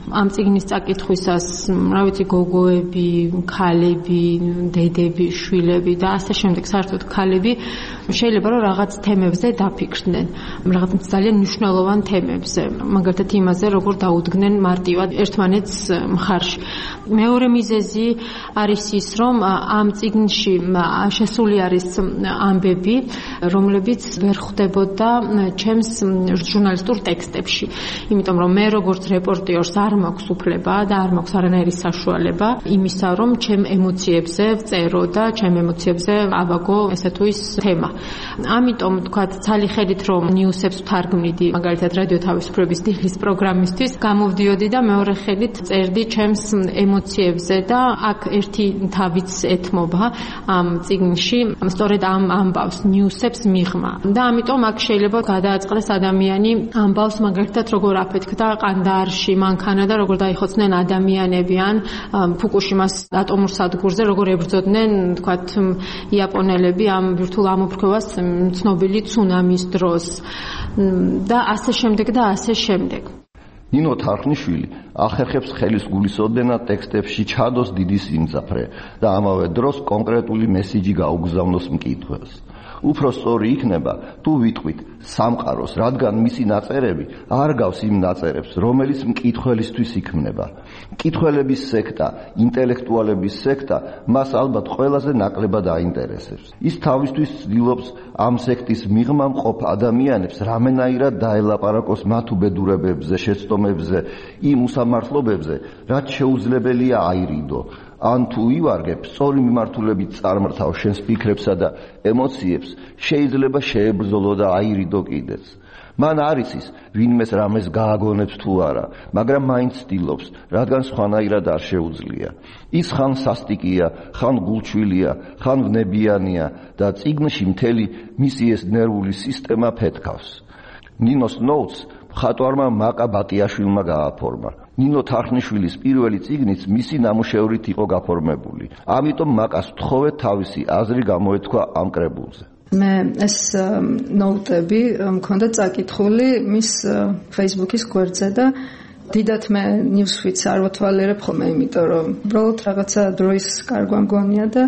ამ წიგნის წაკითხვისას, რა ვიცი, გოგოები, ქალები, დედები, შვილები და ასე შემდეგ, საერთოდ ქალები შეიძლება რომ რაღაც თემებზე დაფიქრდნენ, რაღაც ძალიან მნიშვნელოვან თემებზე, მაგალითად იმაზე, როგორ დაუდგნენ მარტივად ერთმანეთს მხარში. მეორე მიზეზი არის ის, რომ ამ წიგნში შესული არის ამბები, რომლებიც ვერ ხვდებოდა ჩემს ჟურნალისტურ ტექსტებში. იმიტომ რომ მე როგორც რეპორტიორს არ მაქვს უფლება და არ მაქვს არანაირი საშუალება იმისა, რომ ჩემ ემოციებზე ვწერო და ჩემ ემოციებზე ავაგო ესე თუ ის თემა. ამიტომ თქვა ცალი ხედით რომ ნიუსებს ვთარგმნიდი, მაგალითად რადიო თავისუფლების დილის პროგრამისთვის, გამოვდიოდი და მეორე ხედით წერდი ჩემს ემოციებზე და აქ ერთი თავიც ეთმობა ამ წიგნში, სწორედ ამ ამბავს ნიუსებს მიღმა. და ამიტომ აქ შეიძლება გადააწყდეს ადამიანი ამბავს მაგალითად როგორ აფეთქდა ყანდაარში მანქანა და როგორ დაიხოცნენ ადამიანები ან ფუკუშიმას ატომურ სადგურზე როგორ ებრძოდნენ თქვათ იაპონელები ამ ბირთვულ ამოფრქვევას ცნობილი ცუნამის დროს და ასე შემდეგ და ასე შემდეგ. ნინო თარხნიშვილი ახერხებს ხელის გულისოდენად ტექსტებში ჩადოს დიდი სიმძაფრე და ამავე დროს კონკრეტული მესიჯი გაუგზავნოს მკითხველს. უფრო სწორი იქნება თუ ვიტყვით სამყაროს, რადგან მისი ნაწერები არ გავს იმ ნაწერებს, რომელიც მკითხველისთვის იქმნება. მკითხველების სექტა, ინტელექტუალების სექტა მას ალბათ ყველაზე ნაკლებად აინტერესებს. ის თავისთვის ცდილობს ამ სექტის მიღმა მყოფ ადამიანებს რამენაირად დაელაპარაკოს მათ უბედურებებზე, შეცდომებზე, იმ უსამართლობებზე, რაც შეუძლებელია აირიდო. ან თუ ივარგებ, სწორი მიმართულებით წარმრთავ შენს ფიქრებსა და ემოციებს, შეიძლება შეებრძოლო და აირიდო კიდეც. მან არ იცის, ვინმეს რამეს გააგონებს თუ არა, მაგრამ მაინც ცდილობს, რადგან სხვანაირად არ შეუძლია. ის ხან სასტიკია, ხან გულჩვილია, ხან ვნებიანია და წიგნში მთელი მისი ეს ნერვული სისტემა ფეთქავს. ნინოს ნოუთს მხატვარმა მაკა ბატიაშვილმა გააფორმა. ნინო თარხნიშვილის პირველი წიგნიც მისი ნამუშევრით იყო გაფორმებული. ამიტომ მაკას ვთხოვეთ თავისი აზრი გამოეთქვა ამ კრებულზე. მე ეს ნოუტები მქონდა წაკითხული მის Facebook-ის გვერდზე და დიდათ მე ნიუსფიდს არ ვთვალიერებ ხოლმე, იმიტომ რომ უბრალოდ რაღაცა დროის კარგვა მგონია და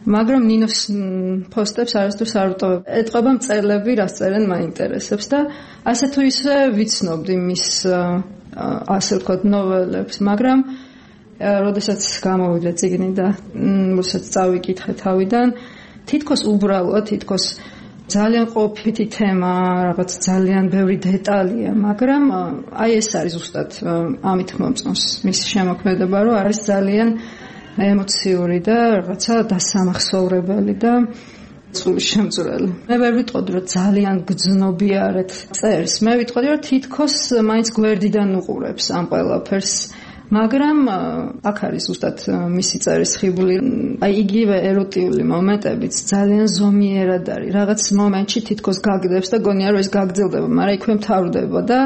მაგრამ ნინოს პოსტებს არასდროს არ ვტოვებ. ეტყობა მწერლები რას წერენ მაინტერესებს და ასე თუ ისე ვიცნობდი მის ასე ვთქვათ ნოველებს, მაგრამ როდესაც გამოვიდა წიგნი და როდესაც წავიკითხე თავიდან, თითქოს უბრალოდ, თითქოს ძალიან ყოფითი თემა, რაღაც ძალიან ბევრი დეტალია, მაგრამ აი ეს არის ზუსტად ამით მომწონს მისი შემოქმედება, რომ არის ძალიან ემოციური და რაღაცა დასამახსოვრებელი და სული შემწვრელი. მე ვერ ვიტყოდი, რომ ძალიან გძნობიარეთ წერს. მე ვიტყოდი, რომ თითქოს მაინც გვერდიდან უყურებს ამ ყველაფერს. მაგრამ აქ არის ზუსტად მისი წერის ხიბლი. აი იგივე ეროტიული მომენტებიც ძალიან ზომიერად არის. რაღაც მომენტში თითქოს გაგდებს და გონია რომ ეს გაგრძელდება, მაგრამ იქვე მთავრდება და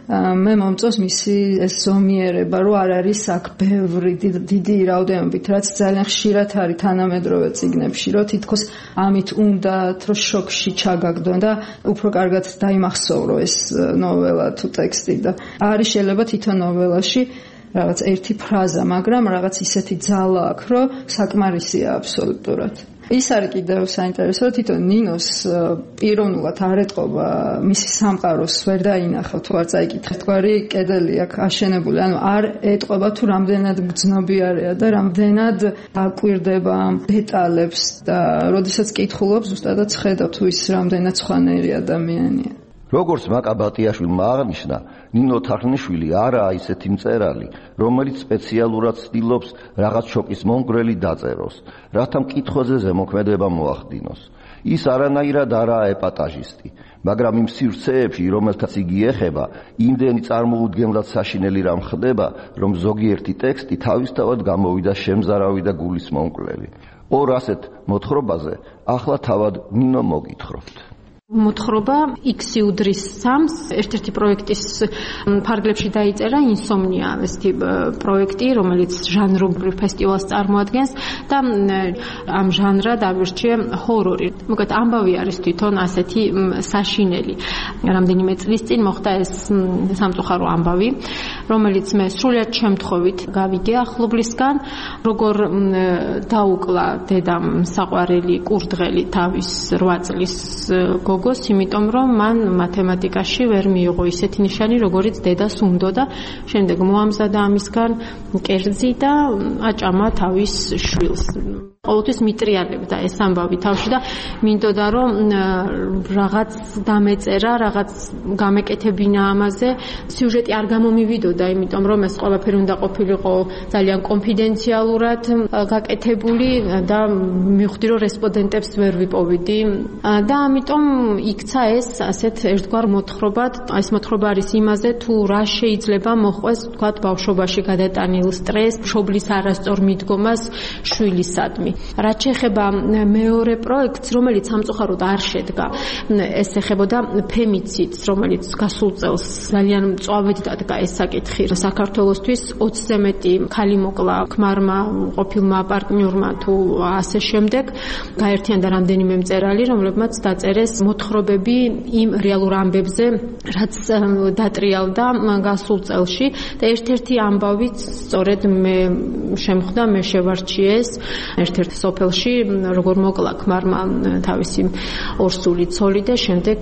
მე მომწონს მისი ეს ზომიერება, რომ არ არის აქ ბევრი დიდი რაოდენობით, რაც ძალიან ხშირად არის თანამედროვე წიგნებში, რომ თითქოს ამით უნდათ, რომ შოკში ჩაგაგდონ და უფრო კარგად დაიმახსოვრო ეს ნოველა თუ ტექსტი და არის შეიძლება თვითონ ნოველაში რაღაც ერთი ფრაზა, მაგრამ რაღაც ისეთი ძალა აქვს, რომ საკმარისია აბსოლუტურად. ის არის კიდევ საინტერესო, თვითონ ნინოს პიროვნულად არ ეტყობა მისი სამყაროს ვერ დაინახა, თუ არ წაიკითხეთ, თქვარი კედელი აქ აშენებული, ანუ არ ეტყობა თუ რამდენად გრძნობიარეა და რამდენად აკვირდება დეტალებს და როდესაც კითხულობს, ზუსტადად ხედავ თუ ის რამდენად სხვანაირი ადამიანია. როგორც მაკა ბატიაშვილმა აღნიშნა, ნინო თარხნიშვილი არაა ისეთი მწერალი, რომელიც სპეციალურად ცდილობს რაღაც შოკის მომგვრელი დაწეროს, რათა მკითხვაზე ზემოქმედება მოახდინოს. ის არანაირად არაა ეპატაჟისტი, მაგრამ იმ სივრცეებში, რომელთაც იგი ეხება, იმდენი წარმოუდგენლად საშინელი რამ ხდება, რომ ზოგიერთი ტექსტი თავისთავად გამოვიდა შემზარავი და გულის მომკვლელი. ორ ასეთ მოთხრობაზე ახლა თავად ნინო მოგითხრობთ. მოთხრობა X უდრის სამს ერთ-ერთი პროექტის ფარგლებში დაიწერა ინსომნია ესეთი პროექტი, რომელიც ჟანრულ ფესტივალს წარმოადგენს და ამ ჟანრად ავირჩიე ჰორორი. მოკლედ ამბავი არის თვითონ ასეთი საშინელი. რამდენიმე წლის წინ მოხდა ეს სამწუხარო ამბავი, რომელიც მე სრულიად შემთხვევით გავიგე ახლობლისგან, როგორ დაუკლა დედამ საყვარელი კურდღელი თავის რვა წლის გოგოს, იმიტომ რომ მან მათემატიკაში ვერ მიიღო ისეთი ნიშანი, როგორიც დედას უნდოდა. შემდეგ მოამზადა ამისგან კერძი და აჭამა თავის შვილს. ყოველთვის მიტრიალებდა ეს ამბავი თავში და მინდოდა რომ რაღაც დამეწერა, რაღაც გამეკეთებინა ამაზე. სიუჟეტი არ გამომივიდოდა, იმიტომ რომ ეს ყველაფერი უნდა ყოფილიყო ძალიან კონფიდენციალურად გაკეთებული და მივხვდი რომ რესპონდენტებს ვერ ვიპოვიდი და ამიტომ იქცა ეს ასეთ ერთგვარ მოთხრობად. ეს მოთხრობა არის იმაზე, თუ რა შეიძლება მოხვეს, თქვათ, ბავშვობაში გადატანილ სტრესს, მშობლის არასწორ მიდგომას შვილისადმი. რაც შეეხება მეორე პროექტს, რომელიც სამწუხაროდ არ შედგა, ეს ეხებოდა ფემიციდს, რომელიც გასულ წელს ძალიან მწვავედ დადგა ეს საკითხი საქართველოსთვის. ოცზე მეტი ქალი მოკლა ქმარმა, ყოფილმა პარტნიორმა თუ ასე შემდეგ. გაერთიანდა რამდენიმე მწერალი, რომლებმაც დაწერეს მოთხრობები იმ რეალურ ამბებზე, რაც დატრიალდა გასულ წელში და ერთ-ერთი ამბავიც სწორედ მე შემხვდა, მე შევარჩიეს ერთ-ერთ სოფელში, როგორ მოკლა ქმარმა თავისი ორსული ცოლი და შემდეგ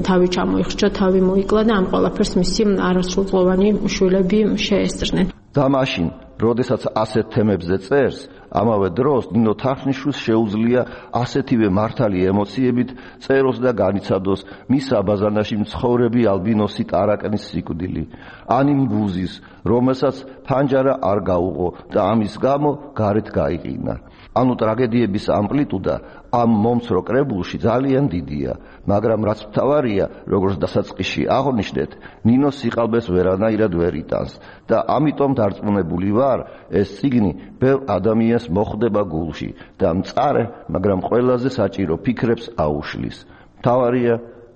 თავი ჩამოიხრჩა, თავი მოიკლა და ამ ყველაფერს მისი არასრულწლოვანი შვილები შეესწრნენ. და მაშინ, როდესაც ასეთ თემებზე წერს, ამავე დროს ნინო თარხნიშვილს შეუძლია ასეთივე მართალი ემოციებით წეროს და განიცადოს მის აბაზანაში მცხოვრები ალბინოსი ტარაკნის სიკვდილი, ან იმ ბუზის, რომელსაც ფანჯარა არ გაუღო და ამის გამო გარეთ გაიყინა. ანუ ტრაგედიების ამპლიტუდა ამ მომცრო კრებულში ძალიან დიდია, მაგრამ რაც მთავარია, როგორც დასაწყისში აღვნიშნეთ, ნინოს სიყალბეს ვერანაირად ვერ იტანს და ამიტომ დარწმუნებული ვარ, ეს წიგნი ბევრ ადამიანს მოხვდება გულში და მწარე, მაგრამ ყველაზე საჭირო ფიქრებს აუშლის. მთავარია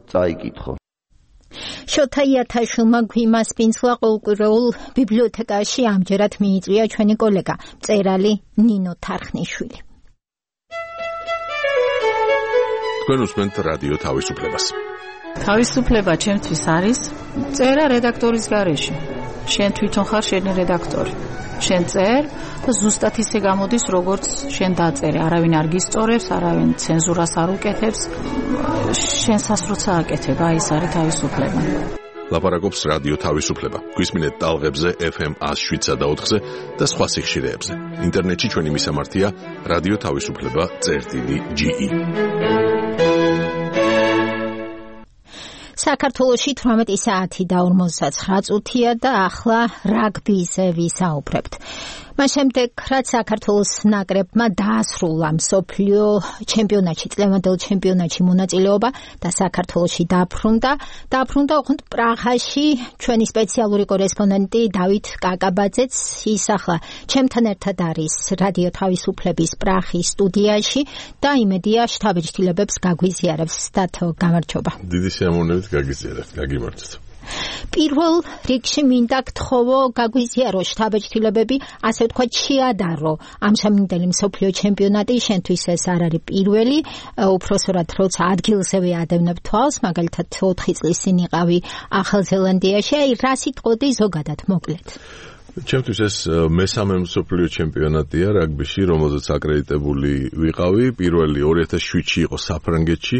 წაიკითხო. შოთა იათაშვილმა გვიმას პინცლა ყოველკვირეულ ბიბლიოთეკაში ამჯერად მიიწვია ჩვენი კოლეგა, მწერალი ნინო თარხნიშვილი. თქვენ უსმენთ რადიო თავისუფლებას. თავისუფლება ჩემთვის არის წერა რედაქტორის გარეშე. შენ თვითონ ხარ შენი რედაქტორი. შენ წერ და ზუსტად ისე გამოდის, როგორც შენ დაწერე. არავინ არ გისწორებს, არავინ ცენზურას არ უკეთებს. შენ სასროცა აკეთებ, აი ეს არის თავისუფლება. ლაპარაკობს რადიო თავისუფლება. გვისმინეთ ტალღებზე ეფ ემ one oh seven და ოთხზე და სხვა სიხშირეებზე. ინტერნეტში ჩვენი მისამართია რადიო თავისუფლება წერტილი ჯი ი. საქართველოში თვრამეტი საათი და ორმოცდაცხრა წუთია და ახლა რაგბიზე ვისაუბრებთ. მას შემდეგ, რაც საქართველოს ნაკრებმა დაასრულა მსოფლიო ჩემპიონატში, წლევანდელ ჩემპიონატში მონაწილეობა და საქართველოში დაბრუნდა, დაბრუნდა ოღონდ პრაღაში ჩვენი სპეციალური კორესპონდენტი დავით კაკაბაძეც, ის ახლა ჩემთან ერთად არის რადიო თავისუფლების პრაღის სტუდიაში და იმედია შთაბეჭდილებებს გაგვიზიარებს. დათო, გამარჯობა. დიდი სიამოვნებით გაგიზიარებთ, გაგიმარჯვეთ. პირველ რიგში მინდა გთხოვო გაგვიზიარო შთაბეჭდილებები, ასე ვთქვათ, შეადარო ამ სამინდელი მსოფლიო ჩემპიონატი, შენთვის ეს არ არის პირველი, უпроსორად როცა ადგილზევე ადევნებ თვალს, მაგალითად ოთხი წლის წინ იყავი ახალ ზელანდიაში, აი რა სიტყოდი ზოგადად მოკლედ. ჩემთვის ეს მესამე მსოფლიო ჩემპიონატია რაგბიში, რომელზეც აკრედიტებული ვიყავი. პირველი ორი ათას შვიდში იყო საფრანგეთში.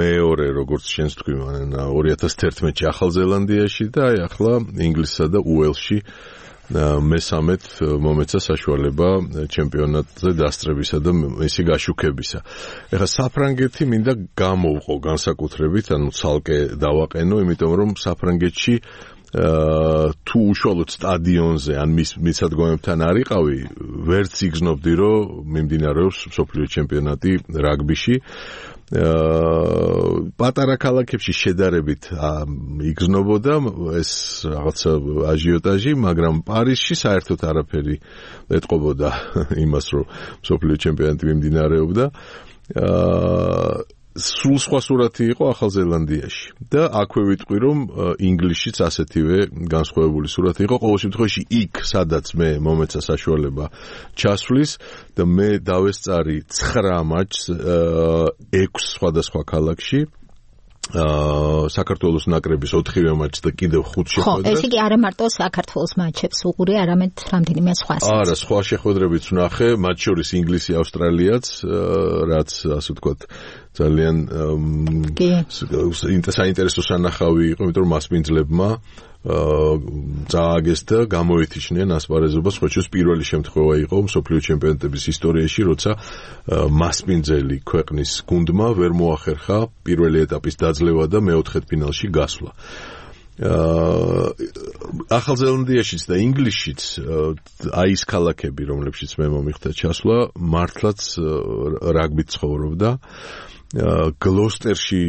მეორე, როგორც შენს თქვი, ორი ათას თერთმეტში ახალზელანდიაში და აი ახლა ინგლისსა და უელსში მესამედ მომეცა საშუალება ჩემპიონატზე დასწრებისა და მისი გაშუქებისა. ეხლა საფრანგეთი მინდა გამოვყო განსაკუთრებით, ანუ ცალკე დავაყენო, იმიტომ რომ საფრანგეთში თუ უშუალოდ სტადიონზე ან მის მისადგომებთან არ იყავი, ვერც იგრძნობდი, რომ მიმდინარეობს მსოფლიო ჩემპიონატი რაგბიში. პატარა ქალაქებში შედარებით იგრძნობოდა ეს რაღაცა აჟიოტაჟი, მაგრამ პარიზში საერთოდ არაფერი ეტყობოდა იმას, რომ მსოფლიო ჩემპიონატი მიმდინარეობდა. სულ სხვა სურათი იყო ახალზელანდიაში და აქვე ვიტყვი, რომ ინგლისშიც ასეთივე განსხვავებული სურათი იყო. ყოველ შემთხვევაში იქ, სადაც მე მომეცა საშუალება ჩასვლის და მე დავესწარი ცხრა მატჩს ექვს სხვადასხვა ქალაქში. საქართველოს ნაკრების ოთხივე მატჩს და კიდევ ხუთ შეხვედრას. ხო, ეს იგი არა მარტო საქართველოს მატჩებს უყურე, არამედ რამდენიმე სხვასაც. არა, სხვა შეხვედრებიც ვნახე, მათ შორის ინგლისი, ავსტრალიაც, რაც ასე ვთქვათ, ძალიან საინტერესო სანახავი იყო, იმიტომ რომ მასპინძლებმა წააგეს და გამოეთიშნენ ასპარეზობას, ხოჩოს პირველი შემთხვევა იყო მსოფლიო ჩემპიონატების ისტორიაში, როცა მასპინძელი ქვეყნის გუნდმა ვერ მოახერხა პირველი ეტაპის დაძლევა და მეოთხედფინალში გასვლა. ახალზელანდიაშიც და ინგლისშიც აი ის ქალაქები, რომლებშიც მე მომიხდა ჩასვლა, მართლაც რაგბით ცხოვრობდა. გლოსტერში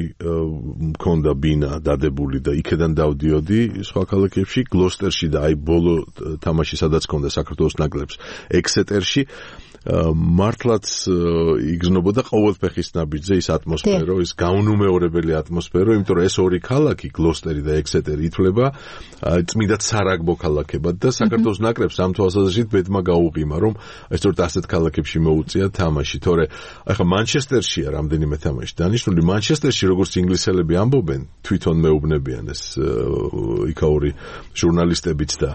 მქონდა ბინა დადებული და იქედან დავდიოდი სხვა ქალაქებში. გლოსტერში და აი ბოლო თამაში სადაც მქონდა საქართველოს ნაკრებს ექსეტერში მართლაც იგრძნობოდა ყოველფეხის ნაბიჯზე ის ატმოსფერო, ის გაუნუმეორებელი ატმოსფერო, იმიტომ რომ ეს ორი ქალაქი, გლოსტერი და ექსეტერი, ითვლება წმინდა სარაგბო ქალაქებად და საქართველოს ნაკრებს ამ თვალსაზრისით ბედმა გაუღიმა, რომ სწორედ ასეთ ქალაქებში მოუწია თამაში. თორე ახლა მანჩესტერშია რამდენიმე თამაში დანიშნული. მანჩესტერში როგორც ინგლისელები ამბობენ, თვითონ მეუბნებიან ეს იქაური ჟურნალისტებიც და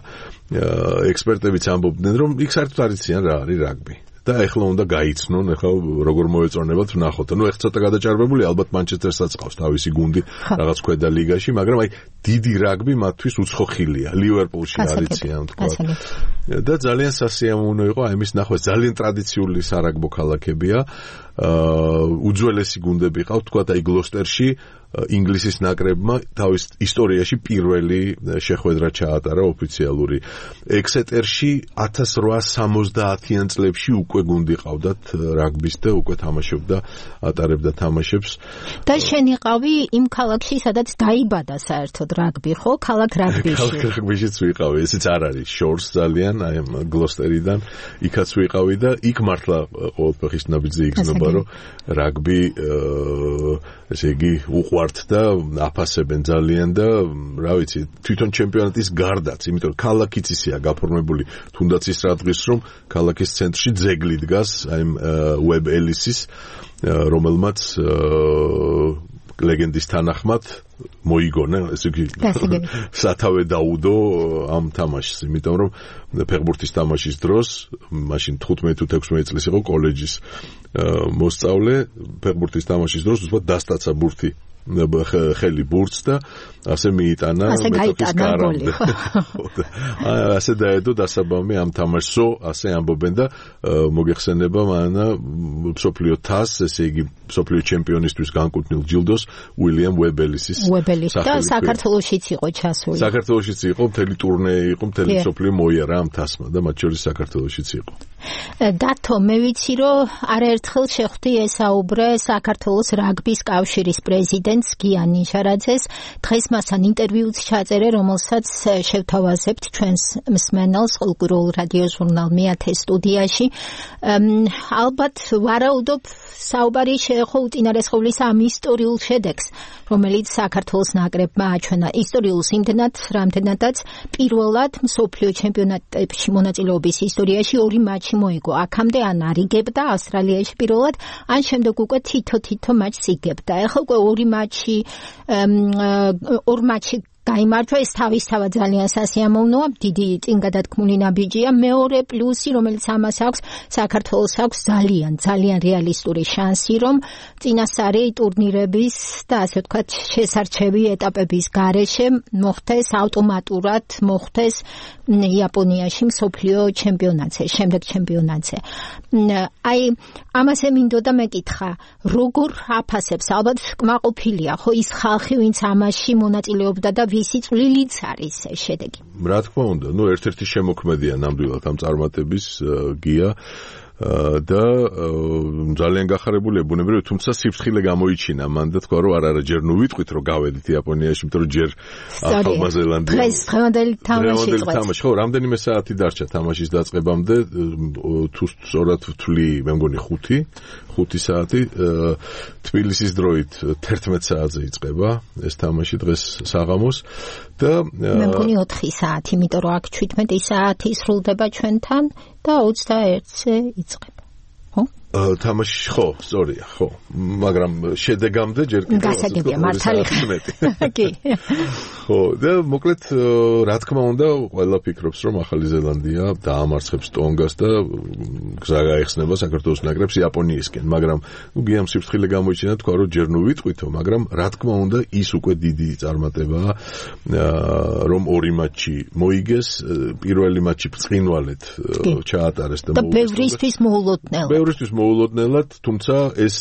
ექსპერტებიც ამბობდნენ, რომ იქ საერთოდ არ იციან რა არის რაგბი. და ეხლა უნდა გაიცნონ, ეხლა როგორ მოეწონებათ ვნახოთ. ნუ ეხლა ცოტა გადაჭარბებული, ალბათ მანჩესტერსაც ყავს თავისი გუნდი რაღაც ქვედა ლიგაში, მაგრამ აი დიდი რაგბი მათთვის უცხოხილია. ლივერპულში არიციან თქვა. და ძალიან სასიამოვნო იყო აი მის ნახვა, ძალიან ტრადიციული სარაგბო ქალაქებია. უძველესი გუნდები ყავთ, თქვა აი გლოსტერში ინგლისის ნაკრებმა თავის ისტორიაში პირველი შეხვედრა ჩაატარა ოფიციალური. ექსეტერში ათას რვაასი სამოცდაათიან წლებში უკვე გუნდი ყავდათ რაგბის და უკვე თამაშობდა, ატარებდა თამაშებს. და შენ იყავი იმ ქალაქში, სადაც დაიბადა საერთოდ რაგბი, ხო? ქალაქ რაგბიში. ქალაქ რაგბიშიც ვიყავი, ესეც არ არის შორს ძალიან, აი გლოსტერიდან იქაც ვიყავი და იქ მართლა ყოველფეხის ნაბიჯზე იგრძნობა, რომ რაგბი ესე იგი უყვართ და აფასებენ ძალიან და რა ვიცი, თვითონ ჩემპიონატის გარდაც, იმიტომ რომ ქალაქიც ისეა გაფორმებული, თუნდაც ის რა დღის რომ ქალაქის ცენტრში ძეგლი დგას, აი უებ ელისის, რომელმაც ლეგენდის თანახმად მოიგონა, ესე იგი სათავე დაუდო ამ თამაშს, იმიტომ რომ ფეხბურთის თამაშის დროს, მაშინ თხუთმეტი თუ ექვსმეტი წლის იყო კოლეჯის მოსწავლე, ფეხბურთის თამაშის დროს უბრალოდ დასტაცა ბურთი ხელი ბურთს და ასე მიიტანა მეტოქის გარამდე. ასე დაედო დასაბამი ამ თამაშსო, ასე ამბობენ და მოგეხსენება მანა მსოფლიო თასს, ესე იგი მსოფლიო ჩემპიონისთვის განკუთვნილ ჯილდოს უილიამ უებელისის. უებელის და საქართველოშიც იყო ჩასული. საქართველოშიც იყო, მთელი ტურნე იყო, მთელი მსოფლიო მოიარა ამ თასმა და მათ შორის საქართველოშიც იყო. დათო, მე ვიცი, რომ არაერთხელ შეხვდი ესაუბრე საქართველოს რაგბის კავშირის პრეზიდენტს გიან ნიშარაძეს. დღეს მასთან ინტერვიუც ჩაწერე, რომელსაც შევთავაზებთ ჩვენს მსმენელს ყოველკვირეულ რადიო ჟურნალ მეათე სტუდიაში. ალბათ ვარაუდობ, საუბარი შეეხო უწინარესხობლისა ამ ისტორიულ შედეგს, რომელიც საქართველოს ნაკრებმა აჩვენა. ისტორიულს იმდენად, რამდენადაც პირველად მსოფლიო ჩემპიონატებში მონაწილეობის ისტორიაში ორი მატჩი მოიგო. აქამდე ან არ იგებდა ავსტრალიაში პირველად, ან შემდეგ უკვე თითო-თითო მატჩს იგებდა. ეხლა უკვე ორი მატჩი ორ მატჩი გაიმარჯვა, ეს თავისთავად ძალიან სასიამოვნოა, დიდი წინ გადადგმული ნაბიჯია. მეორე პლუსი, რომელიც ამას აქვს, საქართველოს აქვს ძალიან, ძალიან რეალისტური შანსი, რომ წინასწარი ტურნირების და ასე ვთქვათ, შესარჩევი ეტაპების გარეშე მოხდეს ავტომატურად მოხდეს იაპონიაში მსოფლიო ჩემპიონატზე, შემდეგ ჩემპიონატზე. აი, ამაზე მინდოდა მეკითხა, როგორ აფასებს, ალბათ კმაყოფილია, ხო ის ხალხი, ვინც ამაში მონაწილეობდა და ვისი წვლილიც არის ეს შედეგი. რა თქმა უნდა, ნუ ერთ-ერთი შემოქმედია ნამდვილად ამ წარმატების გია და ძალიან გახარებულია ბუნებრივად, თუმცა სიფრთხილე გამოიჩინა მან და თქვა რომ არა არა ჯერ ნუ ვიტყვით რომ გავედით იაპონიაში, იმიტომ რომ ჯერ ახალმა ზელანდია დღეს დღევანდელი თამაში წყვეტს. ხო, რამდენიმე საათი დარჩა თამაშის დაწყებამდე, თუ სწორად ვთვლი, მე მგონი ხუთი, ხუთი საათი, თბილისის დროით თერთმეტ საათზე იწყება ეს თამაში დღეს საღამოს და მე მგონი ოთხი საათი, იმიტომ რომ აქ შვიდმეტი საათი სრულდება ჩვენთან და ოცდაერთზე იწყება. ხო? თამაში ხო, სწორია, ხო. მაგრამ შედეგამდე ჯერ კიდევ გასაგებია მართალი ხარ. კი. ხო, და მოკლედ რა თქმა უნდა, ყველა ფიქრობს, რომ ახალი ზელანდია დაამარცხებს ტონგას და გზა გაეხსნება საქართველოს ნაკრებს იაპონიისკენ, მაგრამ ნუ გიამ სიფრთხილე გამოიჩინა, თქვა რომ ჯერ ნუ ვიტყვითო, მაგრამ რა თქმა უნდა, ის უკვე დიდი წარმატებაა, რომ ორი მატჩი მოიგეს, პირველი მატჩი ბრწყინვალედ ჩაატარეს და მოუგეს. და ბევრისთვის მოულოდნელად. ბევრისთვის მოულოდნელად, თუმცა ეს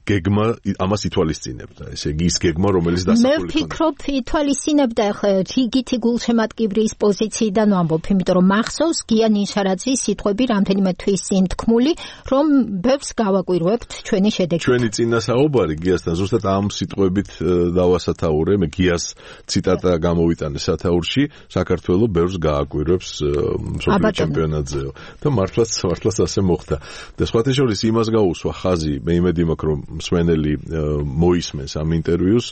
გეგმა ამას ითვალისწინებდა. ესე იგი ის გეგმა, რომელიც დასახული მე ვფიქრობ, ითვალისწინებდა ახლა რიგითი გულშემატკივრის პოზიციიდან ვამბობ, იმიტომ რომ მახსოვს გია ნიშარაძის სიტყვები რამდენიმე თვის წინ თქმული, რომ ბევრს გავაკვირვებთ ჩვენი შედეგით. ჩვენი წინასაუბარი გიასთან ზუსტად ამ სიტყვებით დავასათაურე, მე გიას ციტატა გამოვიტანე სათაურში, საქართველოს ბევრს გააკვირვებს მსოფლიო ჩემპიონატზე და მართლაც მართლაც ასე მოხდა. და სხვათა შორის იმას გაუსვა ხაზი, მე იმედი მაქვს, რომ მსმენელი მოისმენს ამ ინტერვიუს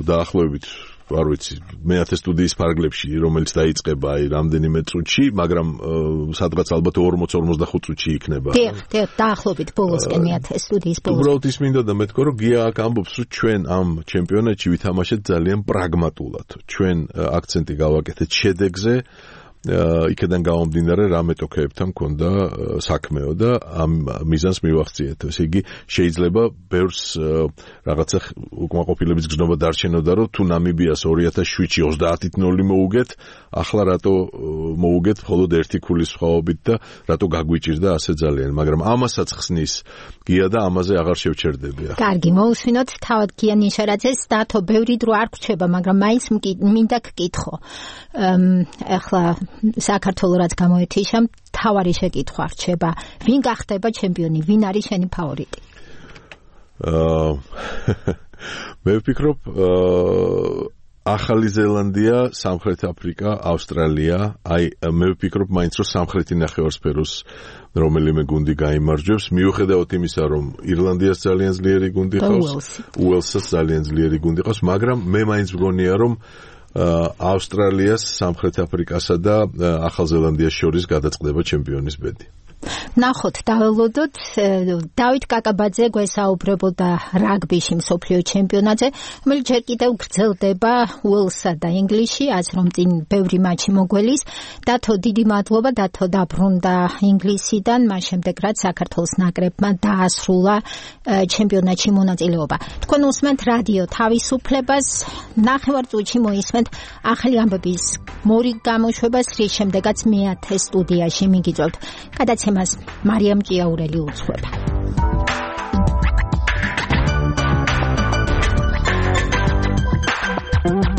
დაახლოებით, არ ვიცი, მეათე სტუდიის ფარგლებში, რომელიც დაიწყება აი რამდენიმე წუთში, მაგრამ სადღაც ალბათ ორმოც ორმოცდახუთ წუთში იქნება. დიახ, დიახ, დაახლოებით ბოლოსკენ მეათე სტუდიის ბოლოს. უბრალოდ ის მინდოდა მეთქვა, რომ გია აქ ამბობს, რომ ჩვენ ამ ჩემპიონატში ვითამაშეთ ძალიან პრაგმატულად. ჩვენ აქცენტი გავაკეთეთ შედეგზე. იქიდან გამომდინარე რა მეტოქეებთან მქონდა საქმეო და ამ მიზანს მივახციეთ. ესე იგი შეიძლება ბევრს რაღაცა უკმაყოფილების გზნობა დარჩენოდა, რომ თუ ნამიბიას ორი ათას შვიდში ოცდაათით ნული მოუგეთ, ახლა რატო მოუგეთ მხოლოდ ერთი ქულის სხვაობით და რატო გაგვიჭირდა ასე ძალიან, მაგრამ ამასაც ხსნის გია და ამაზე აღარ შევჩერდები. კარგი, მოусვინოთ თავად გია ნიშარაძეს, დათო ბევრი დრო არ გრჩება, მაგრამ მაინც მინდა გკითხო. ახლა საქართველოს რაც გამოეთიშა, თავარი შეკითხვა რჩება, ვინ გახდება ჩემპიონი, ვინ არის შენი ფავორიტი? აა მე ვფიქრობ, ახალი ზელანდია, სამხრეთ აფრიკა, ავსტრალია, აი მე ვფიქრობ მაინც რომ სამხრეთი ნახევარსფეროს რომელიმე გუნდი გაიმარჯვებს, მიუხედავად იმისა, რომ ირლანდიას ძალიან ძლიერი გუნდი ყავს, უელსს ძალიან ძლიერი გუნდი ყავს, მაგრამ მე მაინც მგონია, რომ ავსტრალიას, სამხრეთ აფრიკასა და ახალ ზელანდიას შორის გადაწყდება ჩემპიონის ბედი. ნახოთ, დაველოდოთ, დავით კაკაბაძე გვესაუბრებოდა რაგბიში მსოფლიო ჩემპიონატზე, რომელიც ჯერ კიდევ გრძელდება უელსსა და ინგლისში, ასე რომ წინ ბევრი მატჩი მოგველის. დათო, დიდი მადლობა, დათო დაბრუნდა ინგლისიდან, მას შემდეგ რაც საქართველოს ნაკრებმა დაასრულა ჩემპიონატში მონაწილეობა. თქვენ უსმენთ რადიო თავისუფლებას, ნახევარ წუთში მოისმენთ ახალი ამბების მორიგ გამოშვებას, რის შემდეგაც მეათე სტუდიაში მიგიწევთ. გადაცემას მარიამ ჭიაურელი უძღვება. Thank you.